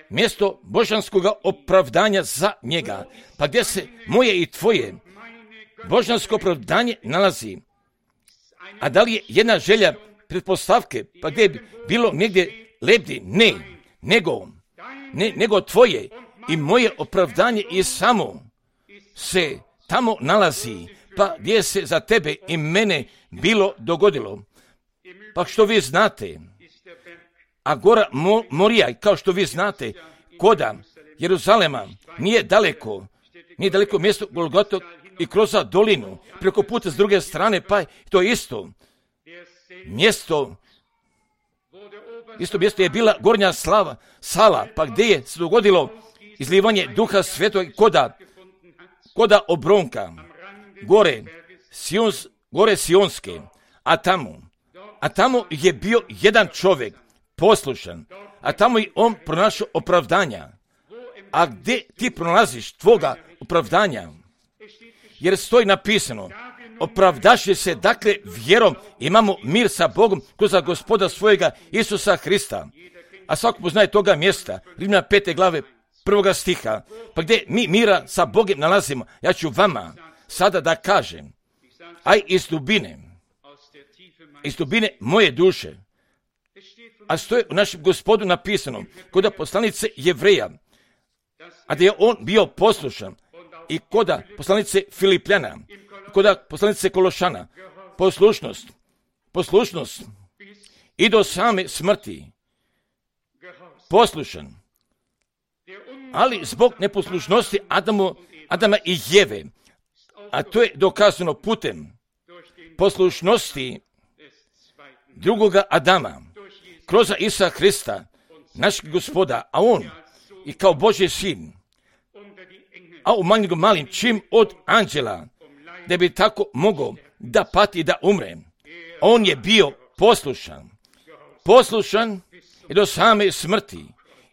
mjesto božanskog opravdanja za njega, pa gdje se moje i tvoje božansko opravdanje nalazi. A da li je jedna želja pretpostavke, pa gdje je bilo negdje lepdi? Ne, nego tvoje i moje opravdanje i samo se tamo nalazi, pa gdje se za tebe i mene bilo dogodilo. Pa što vi znate, a gora Morija, kao što vi znate, koda Jeruzalema nije daleko mjesto Golgoto i kroz dolinu, preko puta s druge strane, pa to isto mjesto je bila gornja sala, pa gdje je se dogodilo izlivanje Duha Svetog koda obronka, gore Sionske, a tamo je bio jedan čovjek poslušan, a tamo i on pronašao opravdanja. A gdje ti pronalaziš tvoga opravdanja? Jer stoji napisano, opravdaši se, dakle, vjerom imamo mir sa Bogom kroz Gospoda svojega Isusa Hrista. A svako poznaje toga mjesta, Rimljana 5. glave 1. stiha, pa gdje mi mira sa Bogom nalazimo. Ja ću vama sada da kažem, aj iz dubine moje duše, a stoje u našem Gospodu napisano, kod poslanice Jevreja, a da je on bio poslušan, i kod poslanice Filipljana, kod poslanice Kološana, poslušnost i do same smrti, poslušan, ali zbog neposlušnosti Adama i Jeve, a to je dokazano putem poslušnosti drugoga Adama, kroz Isusa Hrista, našeg Gospoda, a on i kao Božji sin, a umanji ga malim čim od anđela, da bi tako mogao da pati i da umre. On je bio poslušan i do same smrti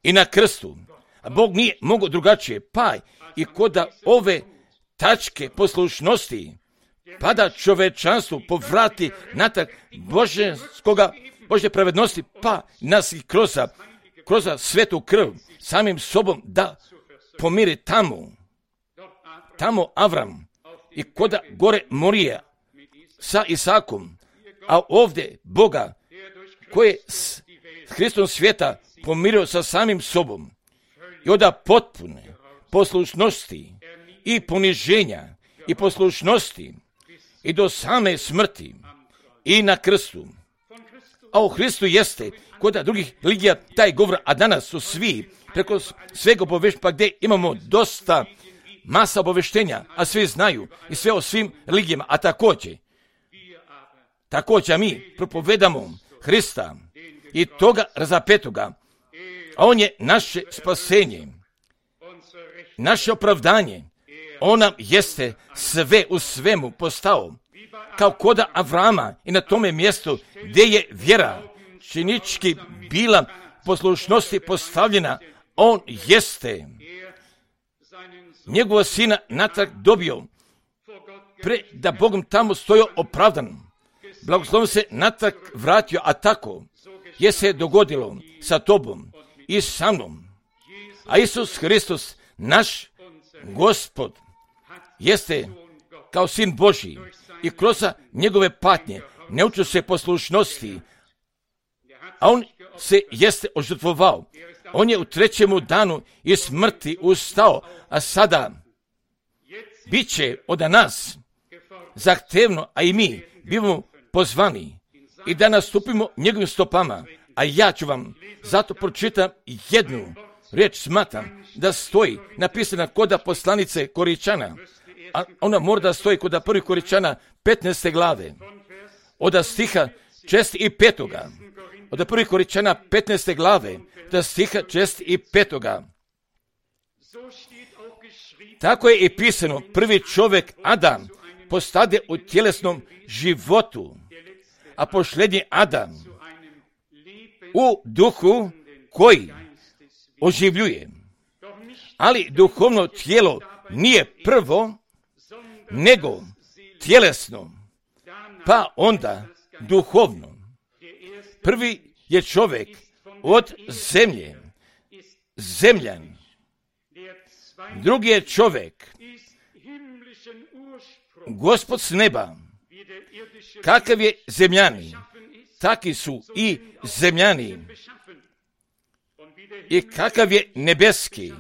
i na krstu. A Bog nije mogao drugačije, pa i kod ove tačke poslušnosti, pa da čovečanstvo povrati natrag Božje pravednosti, pa nas i kroz svetu krv samim sobom da pomiri tamo Avram i koda gore Morija sa Isakom, a ovdje Boga koji je s Hristom svijeta pomirio sa samim sobom i onda potpune poslušnosti i poniženja i poslušnosti i do same smrti i na krstu. A u Hristu jeste kod drugih religija taj govor, a danas su svi preko svega obaveštenja, pa gdje imamo dosta masa obaveštenja, a svi znaju i sve o svim religijama, a također mi propovedamo Hrista i toga razapetoga, a on je naše spasenje, naše opravdanje. On nam jeste sve u svemu postao, kao koda Avrama i na tome mjestu gdje je vjera činički bila poslušnosti postavljena, on jeste njegova sina natrag dobio, da Bogom tamo stojio opravdan. Blagoslovno se natrag vratio, a tako je se dogodilo sa tobom i sa mnom. A Isus Hristos, naš Gospod, jeste kao sin Božji i kroz njegove patnje ne učio se poslušnosti, a on se jeste ožrtvovao. On je u 3. danu iz smrti ustao, a sada bit će od nas zahtevno, a i mi bivamo pozvani i da nastupimo njegovim stopama. A ja ću vam zato pročitam jednu riječ, smatram da stoji napisana kod poslanice Koričana, a ona mora da stoji kod 1. Koričana 15. glave, od stiha 6. i 5. od 1. Korinčana 15. glave, da stiha 6. i 5. Tako je i pisano, prvi čovjek Adam postade u tjelesnom životu, a posljednji Adam u duhu koji oživljuje. Ali duhovno tijelo nije prvo, nego tjelesno, pa onda duhovno. Prvi je čovjek od zemlje, zemljan. Drugi je čovjek, Gospod s neba. Kakav je zemljani, taki su i zemljani. I kakav je nebeski,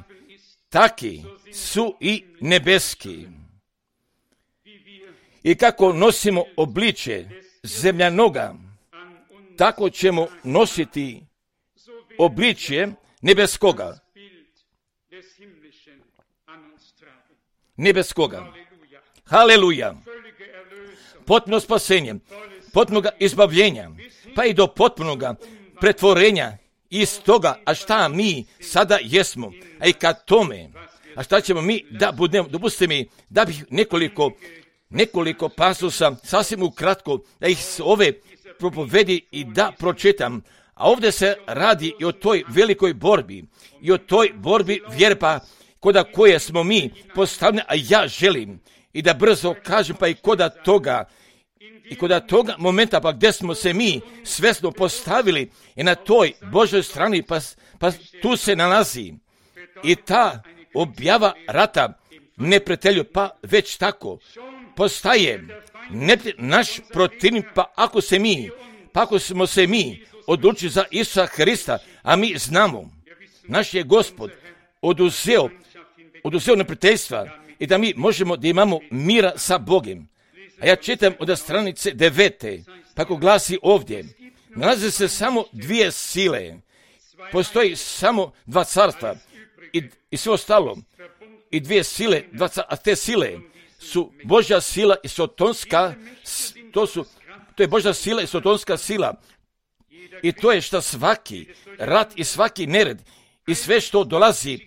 taki su i nebeski. I kako nosimo obličje zemljanoga, tako ćemo nositi obličje nebeskoga. Nebeskoga. Haleluja. Potpuno spasenje, potpunog izbavljenja, pa i do potpunoga pretvorenja iz toga, a šta mi sada jesmo, a i kad tome, a šta ćemo mi da budemo, dopustite mi da bih nekoliko pasusa, sasvim ukratko, da ih ove propovedi i da pročitam. A ovdje se radi i o toj velikoj borbi, i o toj borbi vjerpa, koda koje smo mi postavljeni, a ja želim i da brzo kažem, pa i koda toga momenta, pa gdje smo se mi svjesno postavili i na toj Božoj strani, pa tu se nalazi i ta objava rata neprijatelju, pa već tako postaje naš protivnik, pa ako smo se mi odlučili za Isusa Hrista, a mi znamo, naš je Gospod oduzeo neprijateljstva i da mi možemo da imamo mira sa Bogom. A ja čitam od stranice 9. tako glasi ovdje, nalaze se samo dvije sile, postoji samo dva carstva i sve ostalo, i dvije sile, a te sile su Božja sila i sotonska, to je Božja sila i sotonska sila. I to je što svaki rat i svaki nered i sve što dolazi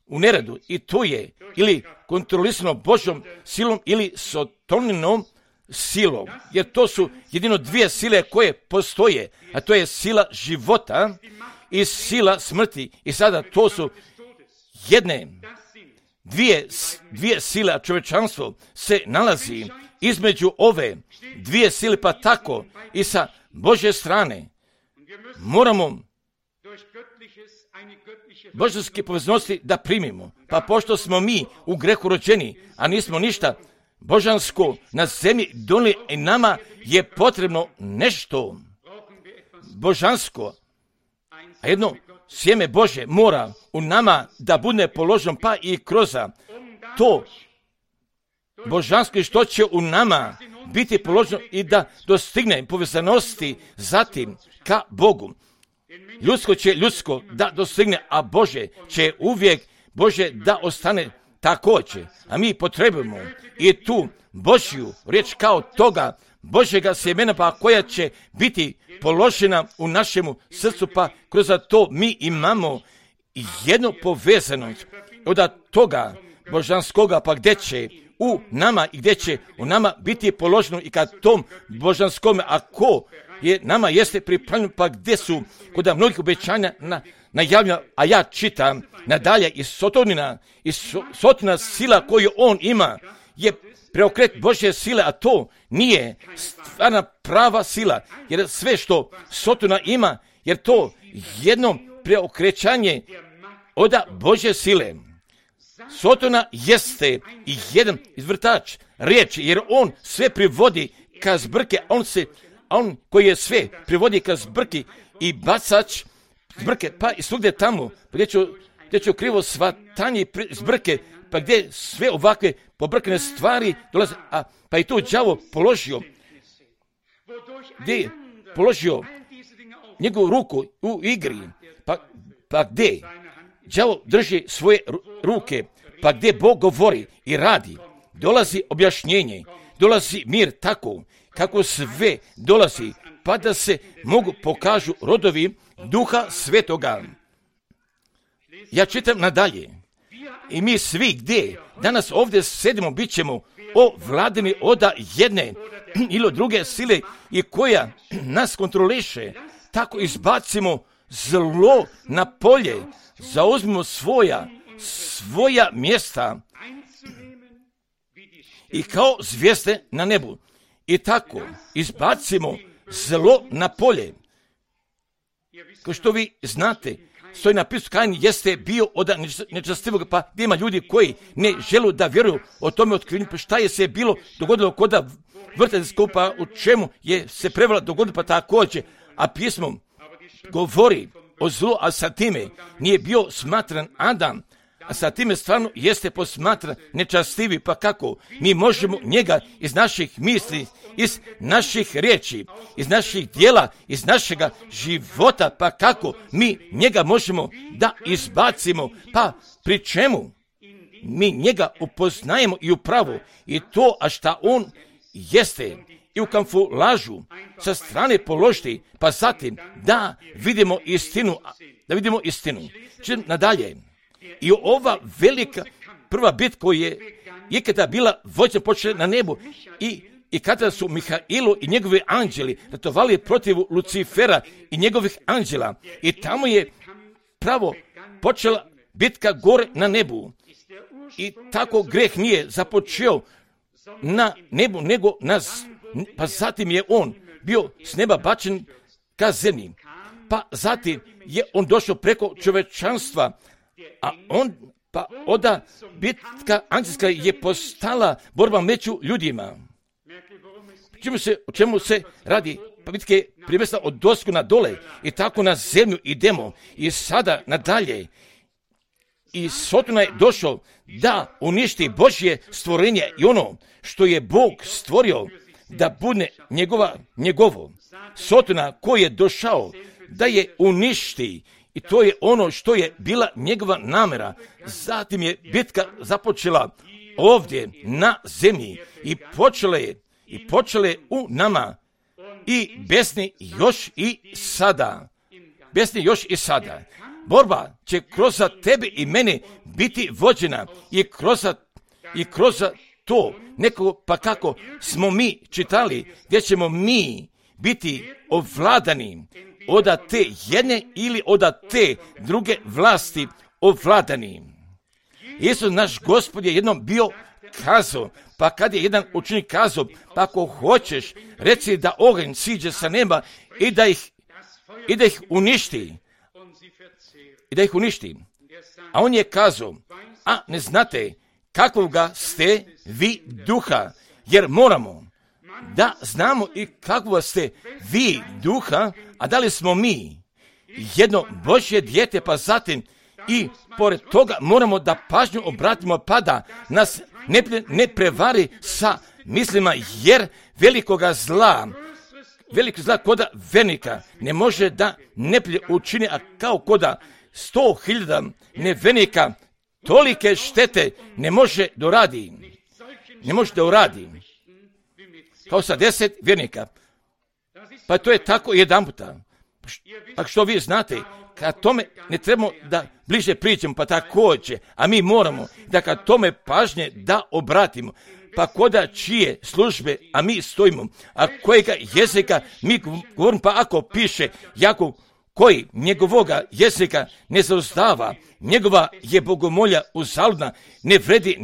u neredu, i to je ili kontrolisano Božjom silom ili sotoninom silom, jer to su jedino dvije sile koje postoje, a to je sila života i sila smrti. I sada to su dvije sile, a čovječanstvo se nalazi između ove dvije sile, pa tako i sa Božje strane moramo božanske poveznosti da primimo. Pa pošto smo mi u grehu rođeni, a nismo ništa božansko na zemlji donijeli, i nama je potrebno nešto božansko, a jedno sjeme Božje mora u nama da bude položeno, pa i kroz to božansko što će u nama biti položeno i da dostigne povezanosti zatim ka Bogu. Ljudsko će ljudsko da dostigne, a Bože će uvijek Bože da ostane također. A mi potrebujemo i tu Božju riječ kao toga Božjega sjemena, pa koja će biti položena u našemu srcu, pa kroz to mi imamo jednu povezanost od toga božanskoga, pa gdje će u nama i gdje će u nama biti položeno i kad tom božanskome, ako je nama jeste pripravljeno, pa gdje su kod mnogih obećanja najavljena, a ja čitam nadalje i sotina sila koju on ima je preokret Božje sile, a to nije stvarna prava sila, jer sve što sotina ima, jer to jedno preokrećanje od Božje sile. Sotona jeste i jedan izvrtač riječi, jer on sve privodi ka zbrke, on koji je sve privodi ka zbrki i bacač zbrke, pa i svugdje tamo, gdje ću krivo svatanje zbrke, pa gdje sve ovakve pobrkane stvari dolaze, pa i tu đavo položio njegovu ruku u igri, pa gdje đavo drži svoje ruke, pa gdje Bog govori i radi, dolazi objašnjenje, dolazi mir tako, kako sve dolazi pa da se mogu pokažu rodovi Duha Svetoga. Ja čitam nadalje. I mi svi gdje danas ovdje sedimo, bit ćemo ovladani od jedne ili od druge sile i koja nas kontroliše. Tako izbacimo zlo na polje, zauzmimo svoja mjesta i kao zvijezde na nebu. I tako izbacimo zlo na polje. Kao što vi znate, stoji napisano, Kain jeste bio od nečastivog, pa gdje ima ljudi koji ne žele da vjeruju o tome otkrivenju, pa šta je se bilo dogodilo kod vrtelj pa u čemu je se prevela dogodilo, pa također, a pismom govori o zlu, a sa time nije bio smatran Adam, a sa time stvarno jeste posmatran nečastivi, pa kako mi možemo njega iz naših misli, iz naših riječi, iz naših djela, iz našega života, pa kako mi njega možemo da izbacimo, pa pri čemu mi njega upoznajemo i upravo i to, a šta on jeste i u kamuflažu sa strane položiti, pa zatim da vidimo istinu. Čim nadalje. I ova velika prva bitka koja je ikada bila vođena počela na nebu i kada su Mihailo i njegovi anđeli ratovali protiv Lucifera i njegovih anđela i tamo je pravo počela bitka gore na nebu. I tako greh nije započeo na nebu nego pa zatim je on bio s neba bačen ka zemlji. Pa zatim je on došao preko čovečanstva, a onda bitka anđelska je postala borba među ljudima. O čemu se radi? Pa bitka je premjestila od dosku na dole i tako na zemlju idemo i sada nadalje. I Sotona je došao da uništi Božje stvorenje i ono što je Bog stvorio da bude njegovo. Sotona koji je došao da je uništi i to je ono što je bila njegova namjera. Zatim je bitka započela ovdje na zemlji i počela je u nama i besni još i sada. Borba će kroz tebe i mene biti vođena i kroz to neko, pa kako smo mi čitali, gdje ćemo mi biti ovladani od te jedne ili od te druge vlasti ovladani. Isus naš Gospod je jednom bio kazao, pa kad je jedan učenik kazao, pa ako hoćeš reci da oganj siđe sa neba i da ih uništi. A on je kazao, a ne znate kakvoga ste vi duha, jer moramo da znamo i kakvoga ste vi duha, a da li smo mi jedno Božje dijete, pa zatim i pored toga moramo da pažnju obratimo, pa da nas ne prevari sa mislima, jer velikoga zla koda vernika ne može da neplje učini, a kao koda 100.000 nevernika tolike štete ne može da uradi. Kao sa 10 vjernika. Pa to je tako jedan puta. Pa što vi znate, kad tome ne trebamo da bliže pričamo, pa također, a mi moramo da kad tome pažnje da obratimo, pa koda čije službe, a mi stojimo, a kojega jezika mi govorimo, pa ako piše Jakov, koji njegovoga jezika ne zauzdava, njegova je bogomolja uzaludna, ne vredi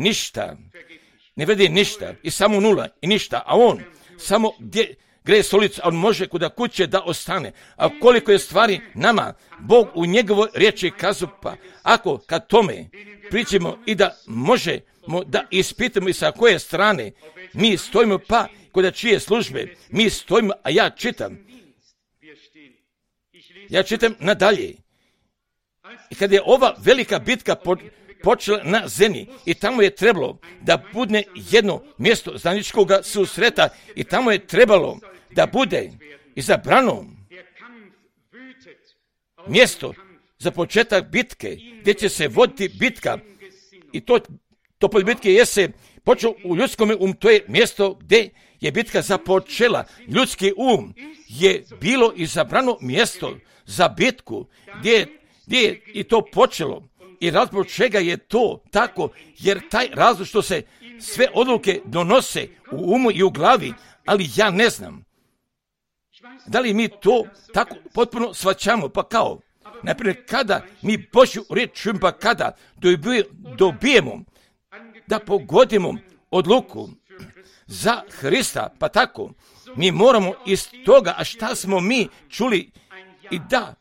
ništa i samo nula i ništa, a on samo gdje greje stolicu, a on može kuda kuće da ostane. A koliko je stvari nama Bog u njegovoj riječi kazao, pa ako kad tome pričamo i da možemo da ispitamo i sa koje strane mi stojimo, pa kuda čije službe mi stojimo, a ja čitam nadalje. I kad je ova velika bitka počela na zemlji i tamo je trebalo da bude jedno mjesto zajedničkog susreta i tamo je trebalo da bude izabrano mjesto za početak bitke gdje će se voditi bitka i to polje bitke je se počeo u ljudskom to je mjesto gdje je bitka započela. Ljudski um je bilo izabrano mjesto za bitku gdje je i to počelo. I razlog čega je to tako, jer taj razlog što se sve odluke donose u umu i u glavi, ali ja ne znam da li mi to tako potpuno shvaćamo, pa kao, naprimjer, kada mi Božju riječ čujemo, pa kada dobijemo da pogodimo odluku za Hrista, pa tako, mi moramo iz toga, a šta smo mi čuli i da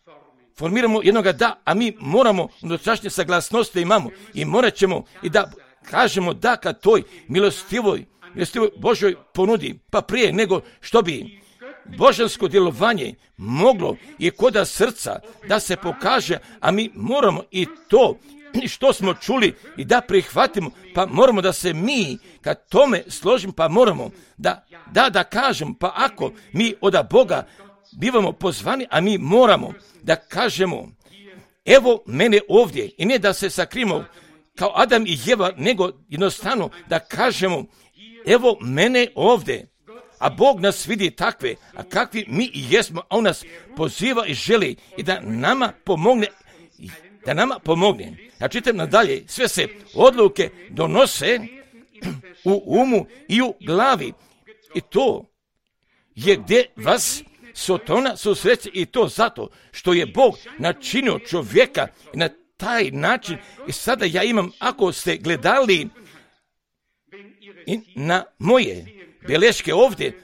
formiramo jednoga da, a mi moramo unutrašnje saglasnosti imamo i morat ćemo i da kažemo da kad toj milostivoj Božoj ponudi, pa prije nego što bi božansko djelovanje moglo i koda srca da se pokaže, a mi moramo i to što smo čuli i da prihvatimo, pa moramo da se mi kad tome složimo, pa moramo da kažemo, pa ako mi od Boga bivamo pozvani, a mi moramo da kažemo, evo mene ovdje, i ne da se sakrimo kao Adam i Jeva, nego jednostavno da kažemo, evo mene ovdje. A Bog nas vidi takve, a kakvi mi i jesmo, a On nas poziva i želi i da nama pomogne. Ja čitam nadalje, sve se odluke donose u umu i u glavi. I to je gdje vas Sotona susreće, i to zato što je Bog načinio čovjeka na taj način. I sada ja imam, ako ste gledali i na moje beleške ovdje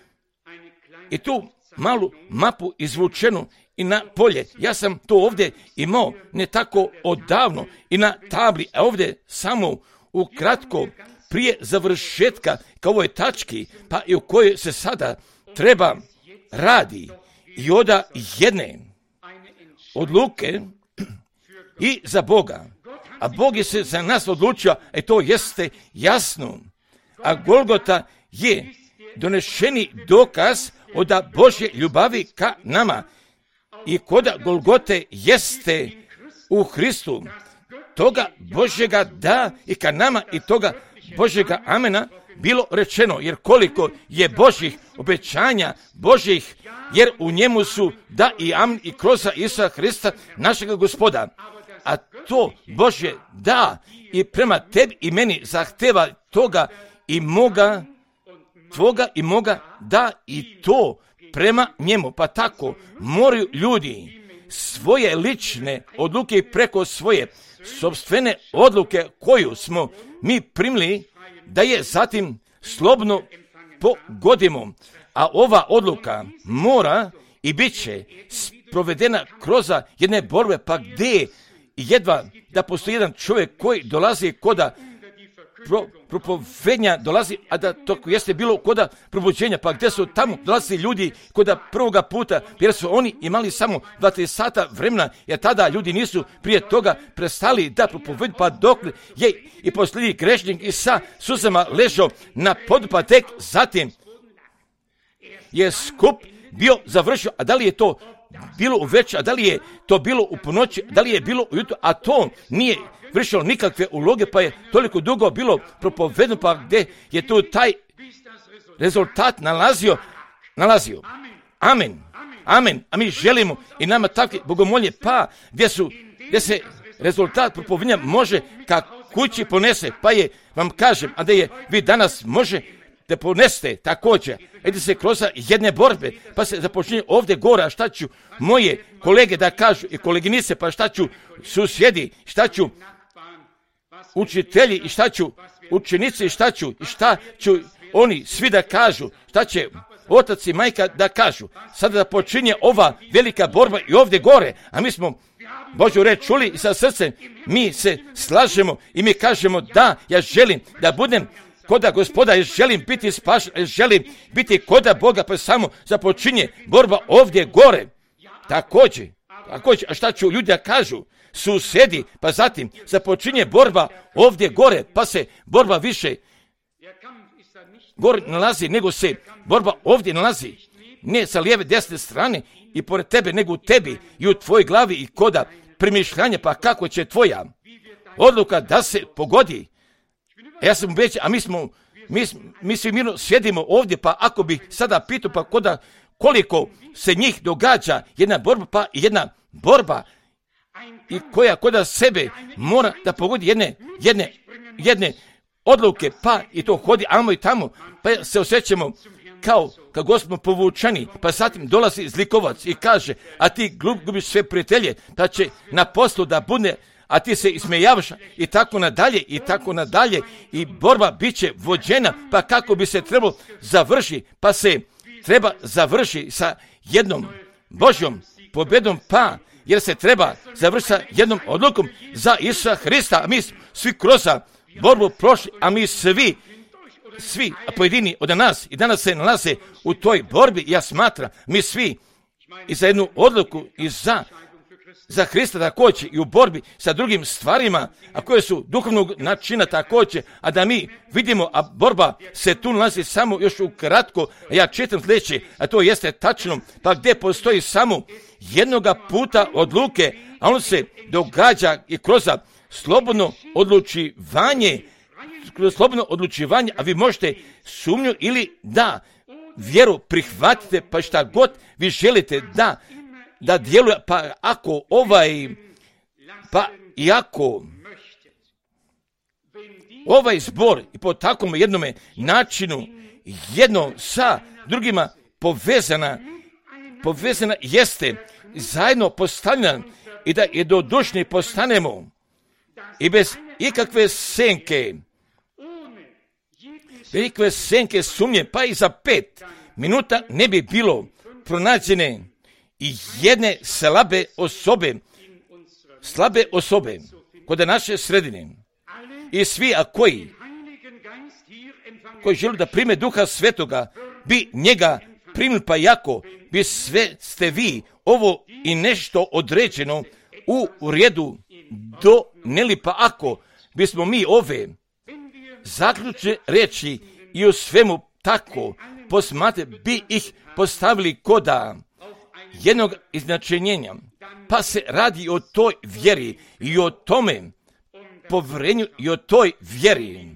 i tu malu mapu izvučenu i na polje, ja sam to ovdje imao ne tako odavno i na tabli, a ovdje samo ukratko prije završetka kao ovoj tački, pa i u kojoj se sada treba radi i oda jedne odluke i za Boga. A Bog je se za nas odlučio, to jeste jasno. A Golgota je donešeni dokaz od Božje ljubavi ka nama. I koda Golgote jeste u Hristu, toga Božjega da i ka nama i toga Božjega amena bilo rečeno, jer koliko je Božjih obećanja, Božjih, jer u njemu su da i amen i kroz Isusa Hrista, našega Gospoda. A to Božje da i prema tebi i meni zahteva toga i moga, tvoga i moga da i to prema njemu. Pa tako moraju ljudi svoje lične odluke preko svoje sopstvene odluke koju smo mi primili, da je zatim slobodno pogodimo. A ova odluka mora i bit će provedena kroz jedne borbe, pa gdje jedva da postoji jedan čovjek koji dolazi koda propovednja dolazi, a da to jeste bilo koda probuđenja, pa gdje su tamo dolazili ljudi koda prvoga puta, jer su oni imali samo 2-3 sata vremena, jer tada ljudi nisu prije toga prestali da propovedu, pa dok je i posljednji grešnik i sa suzama ležao na podu, pa tek zatim je skup bio završio. A da li je to bilo uveče, a da li je to bilo u ponoći, da li je bilo ujutro, a to nije vršilo nikakve uloge, pa je toliko dugo bilo propovedeno, pa gdje je tu taj rezultat nalazio. Amen. A mi želimo i nama takve bogomolje, pa gdje se rezultat propovedanja može ka kući ponese, pa je, vam kažem, a da je vi danas može da ponesete također, ide se kroz jedne borbe, pa se započinje ovdje gore, a šta ću moje kolege da kažu i koleginice, pa šta ću susjedi, šta ću učitelji i šta ću učenici i šta ću oni svi da kažu, šta će otac i majka da kažu. Sada da počinje ova velika borba i ovdje gore, a mi smo Božju reč čuli i sa srcem mi se slažemo i mi kažemo da, ja želim da budem koda Gospoda, ja želim biti spašen, ja želim biti koda Boga, pa samo započinje borba ovdje gore. Također, a šta ću ljudi da kažu? Susjedi, pa zatim započinje borba ovdje gore, pa se borba više gore nalazi, nego se borba ovdje nalazi. Ne sa lijeve, desne strane i pored tebe, nego u tebi i u tvojoj glavi i koda premišljanja, pa kako će tvoja odluka da se pogodi. Ja sam ubeđen, a mi smo mi svi mirno sjedimo ovdje, pa ako bi sada pitao, pa koliko se njih događa jedna borba, pa i jedna borba i koja kod sebe mora da pogodi jedne odluke, pa i to hodi amo i tamo, pa se osjećamo kao kad smo povučani, pa zatim dolazi zlikovac i kaže, a ti gubiš sve prijatelje, pa će na poslu da bude, a ti se ismejavaš i tako nadalje i borba bit će vođena, pa kako bi se trebalo završiti, pa se treba završiti sa jednom Božjom pobjedom, pa jer se treba završiti sa jednom odlukom za Isusa Hrista, a mi svi kroz borbu prošli, a mi svi pojedini od nas i danas se nalaze u toj borbi. Ja smatram, mi svi i za jednu odluku i za Hrista također i u borbi sa drugim stvarima, a koje su duhovnog načina također, a da mi vidimo, a borba se tu nalazi samo još ukratko, a ja čitam sljedeće, a to jeste tačno, pa gdje postoji samo jednoga puta odluke, a on se događa i kroz slobodno odlučivanje, a vi možete sumnju ili da vjeru prihvatite, pa šta god vi želite da djeluje, pa ako ovaj zbor i po takvom jednome načinu jedno sa drugima povezana jeste zajedno postavljena i da jednodušni postanemo i bez ikakve senke sumnje, pa i za 5 minuta ne bi bilo pronađene i jedne slabe osobe kod naše sredine. I svi koji žele da prime Duha Svetoga bi njega primili, pa jako bi sve ste vi ovo i nešto određeno u redu doneli, pa ako bismo mi ove zaključne reči i u svemu tako bi ih postavili koda jednog iznačenjenja, pa se radi o toj vjeri i o tome povjerenju i o toj vjeri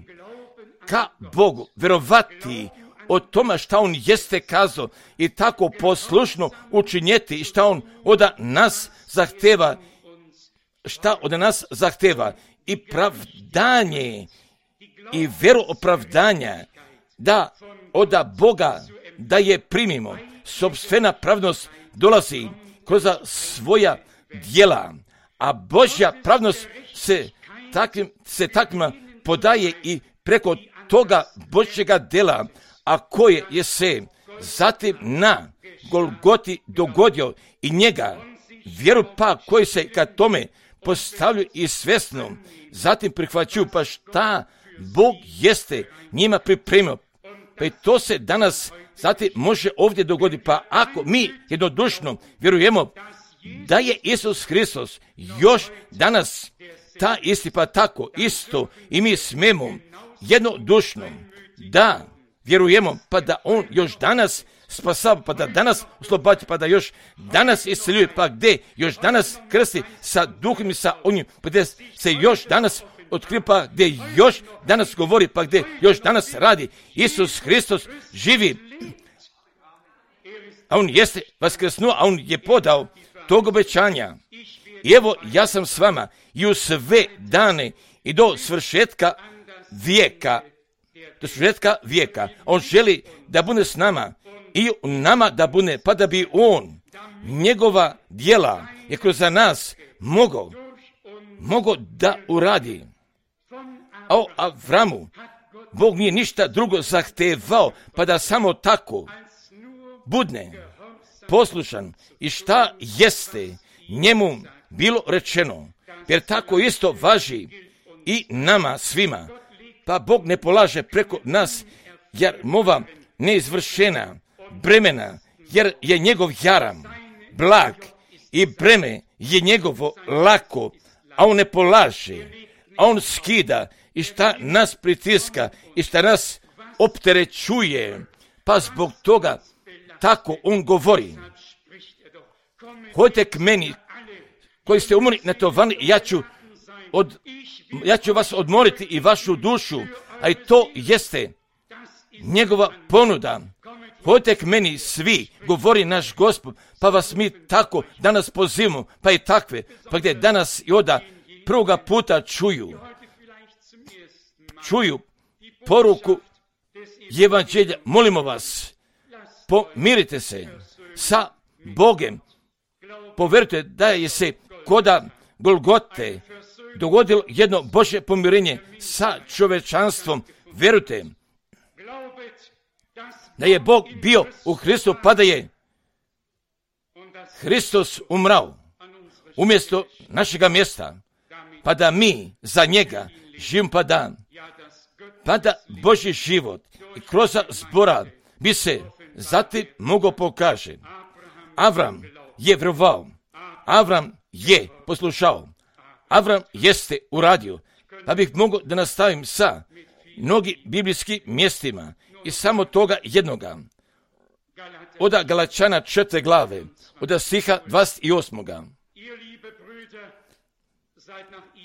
ka Bogu, vjerovati o tome šta on jeste kazao i tako poslušno učinjeti i šta on od nas zahteva i pravdanje i vjeru opravdanja da od Boga da je primimo. Sopstvena pravnost dolazi kroz svoja djela, a Božja pravnost se takvima podaje i preko toga Božjega djela, a koje je se zatim na Golgoti dogodio i njega, vjeru pa koji se ka tome postavljaju i svjesno, zatim prihvaćuju, pa šta Bog jeste njima pripremio. Pa i to se danas zatim može ovdje dogoditi, pa ako mi jednodušno vjerujemo da je Isus Hristos još danas ta isti, pa tako isto i mi smemo jednodušno da vjerujemo, pa da on još danas spasava, pa da danas oslobađa, pa da još danas isceljuje, pa gdje još danas krsti sa duhom i sa onim, pa gdje se još danas otkriva, pa gdje još danas govori, pa gdje još danas radi. Isus Hristos živi, a on jeste vaskrsnuo, a on je podao tog obećanja. I evo, ja sam s vama i u sve dane i do svršetka vijeka. On želi da bude s nama i u nama da bude, pa da bi on njegova djela je kroz nas mogao da uradi. A o Avramu Bog nije ništa drugo zahtevao, pa da samo tako budne poslušan i šta jeste njemu bilo rečeno, jer tako isto važi i nama svima. Pa Bog ne polaže preko nas jarmova neizvršena bremena, jer je njegov jaram blag i breme je njegovo lako, a on ne polaže, a on skida i šta nas pritiska i šta nas opterećuje, pa zbog toga tako on govori. Hodite k meni koji ste umorni natovani, ja ću vas odmoriti i vašu dušu, a i to jeste njegova ponuda. Pođite k meni svi, govori naš Gospod, pa vas mi tako danas pozivamo, pa i takve, pa gdje danas i oda prvoga puta čuju poruku evanđelja. Molimo vas, pomirite se sa Bogem. Poverujte da je se koda Golgote dogodilo jedno Božje pomirenje sa čovečanstvom. Verujte da je Bog bio u Hristu, pa da je Hristos umrao umjesto našega mjesta, pa da mi za njega živimo, pa da Božji život i kroz zbora bi se zatim mogao pokaže. Avram je vjerovao, Avram je poslušao, Avram jeste uradio, pa bih mogao da nastavim sa mnogi biblijskim mjestima i samo toga jednoga. Od Galačana 4. glave, od stiha 28.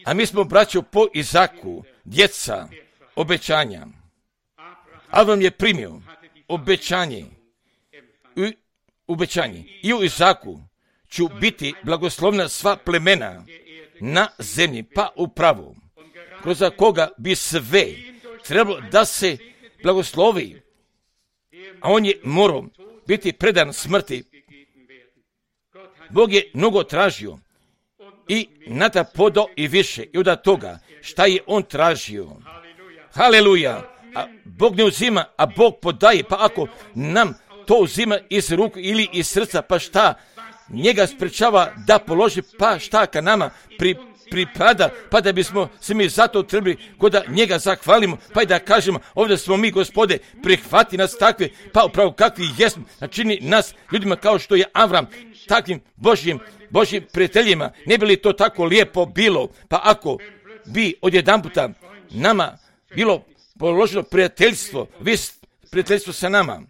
A mi smo, braćo, po Izaku, djeca obećanja. Avram je primio obećanje i u Izaku ću biti blagoslovna sva plemena na zemlji, pa upravo kroz koga bi sve trebalo da se blagoslovi, a on je morao biti predan smrti. Bog je mnogo tražio i nada podao i više i od toga šta je on tražio. Haleluja! A Bog ne uzima, a Bog podaje, pa ako nam to uzima iz ruku ili iz srca, pa šta njega sprečava da položi, pa šta ka nama pripada, pa da bismo se mi zato trebali kod da njega zahvalimo, pa i da kažemo, ovdje smo mi, Gospode, prihvati nas takve, pa upravo kakvi jesmo, načini nas ljudima kao što je Avram, takvim Božjim prijateljima. Ne bi li to tako lijepo bilo, pa ako bi odjedanputa nama bilo položeno prijateljstvo, prijateljstvo sa nama.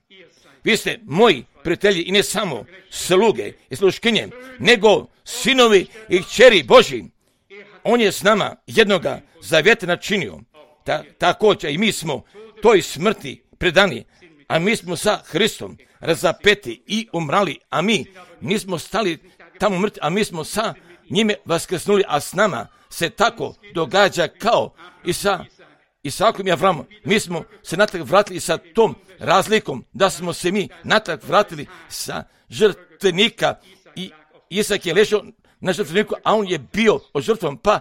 Vi ste moji prijatelji i ne samo sluge i sluškinje, nego sinovi i kćeri Božji. On je s nama jednoga zavjeta načinio. Također i mi smo toj smrti predani, a mi smo sa Hristom razapeti i umrali, a mi nismo stali tamo mrtvi, a mi smo sa njime vaskrsnuli, a s nama se tako događa kao i sa Isakom i Avramom. Mi smo se natrag vratili sa tom razlikom da smo se mi natrag vratili sa žrtvenika i Isak je ležao na žrtveniku, a on je bio ožrtvovan, pa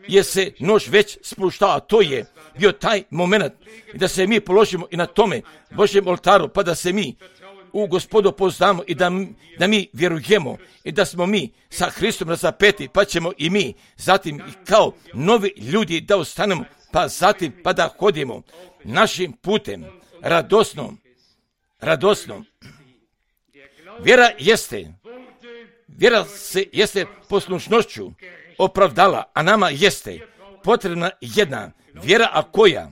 je se nož već spuštao, a to je bio taj moment da se mi položimo i na tome Božjem oltaru, pa da se mi u Gospodu poznamo i da mi vjerujemo i da smo mi sa Hristom razapeti, pa ćemo i mi zatim kao novi ljudi da ostanemo, pa zatim pa da hodimo našim putem radosno. Vjera se jeste poslušnošću opravdala, a nama jeste potrebna jedna vjera, a koja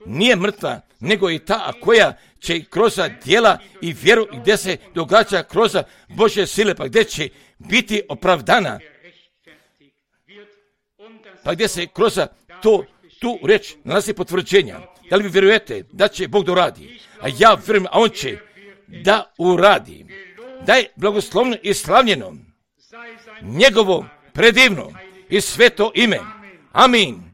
nije mrtva, nego i ta, a koja će kroz djela i vjeru gdje se događa kroz Božje sile, pa gdje će biti opravdana, pa gdje se kroz tu reč nalazi potvrđenja. Da li vi vjerujete da će Bog da uradi? A ja vjerujem, a on će da uradi. Da je blagoslovno i slavljeno njegovo predivno i sveto ime. Amin.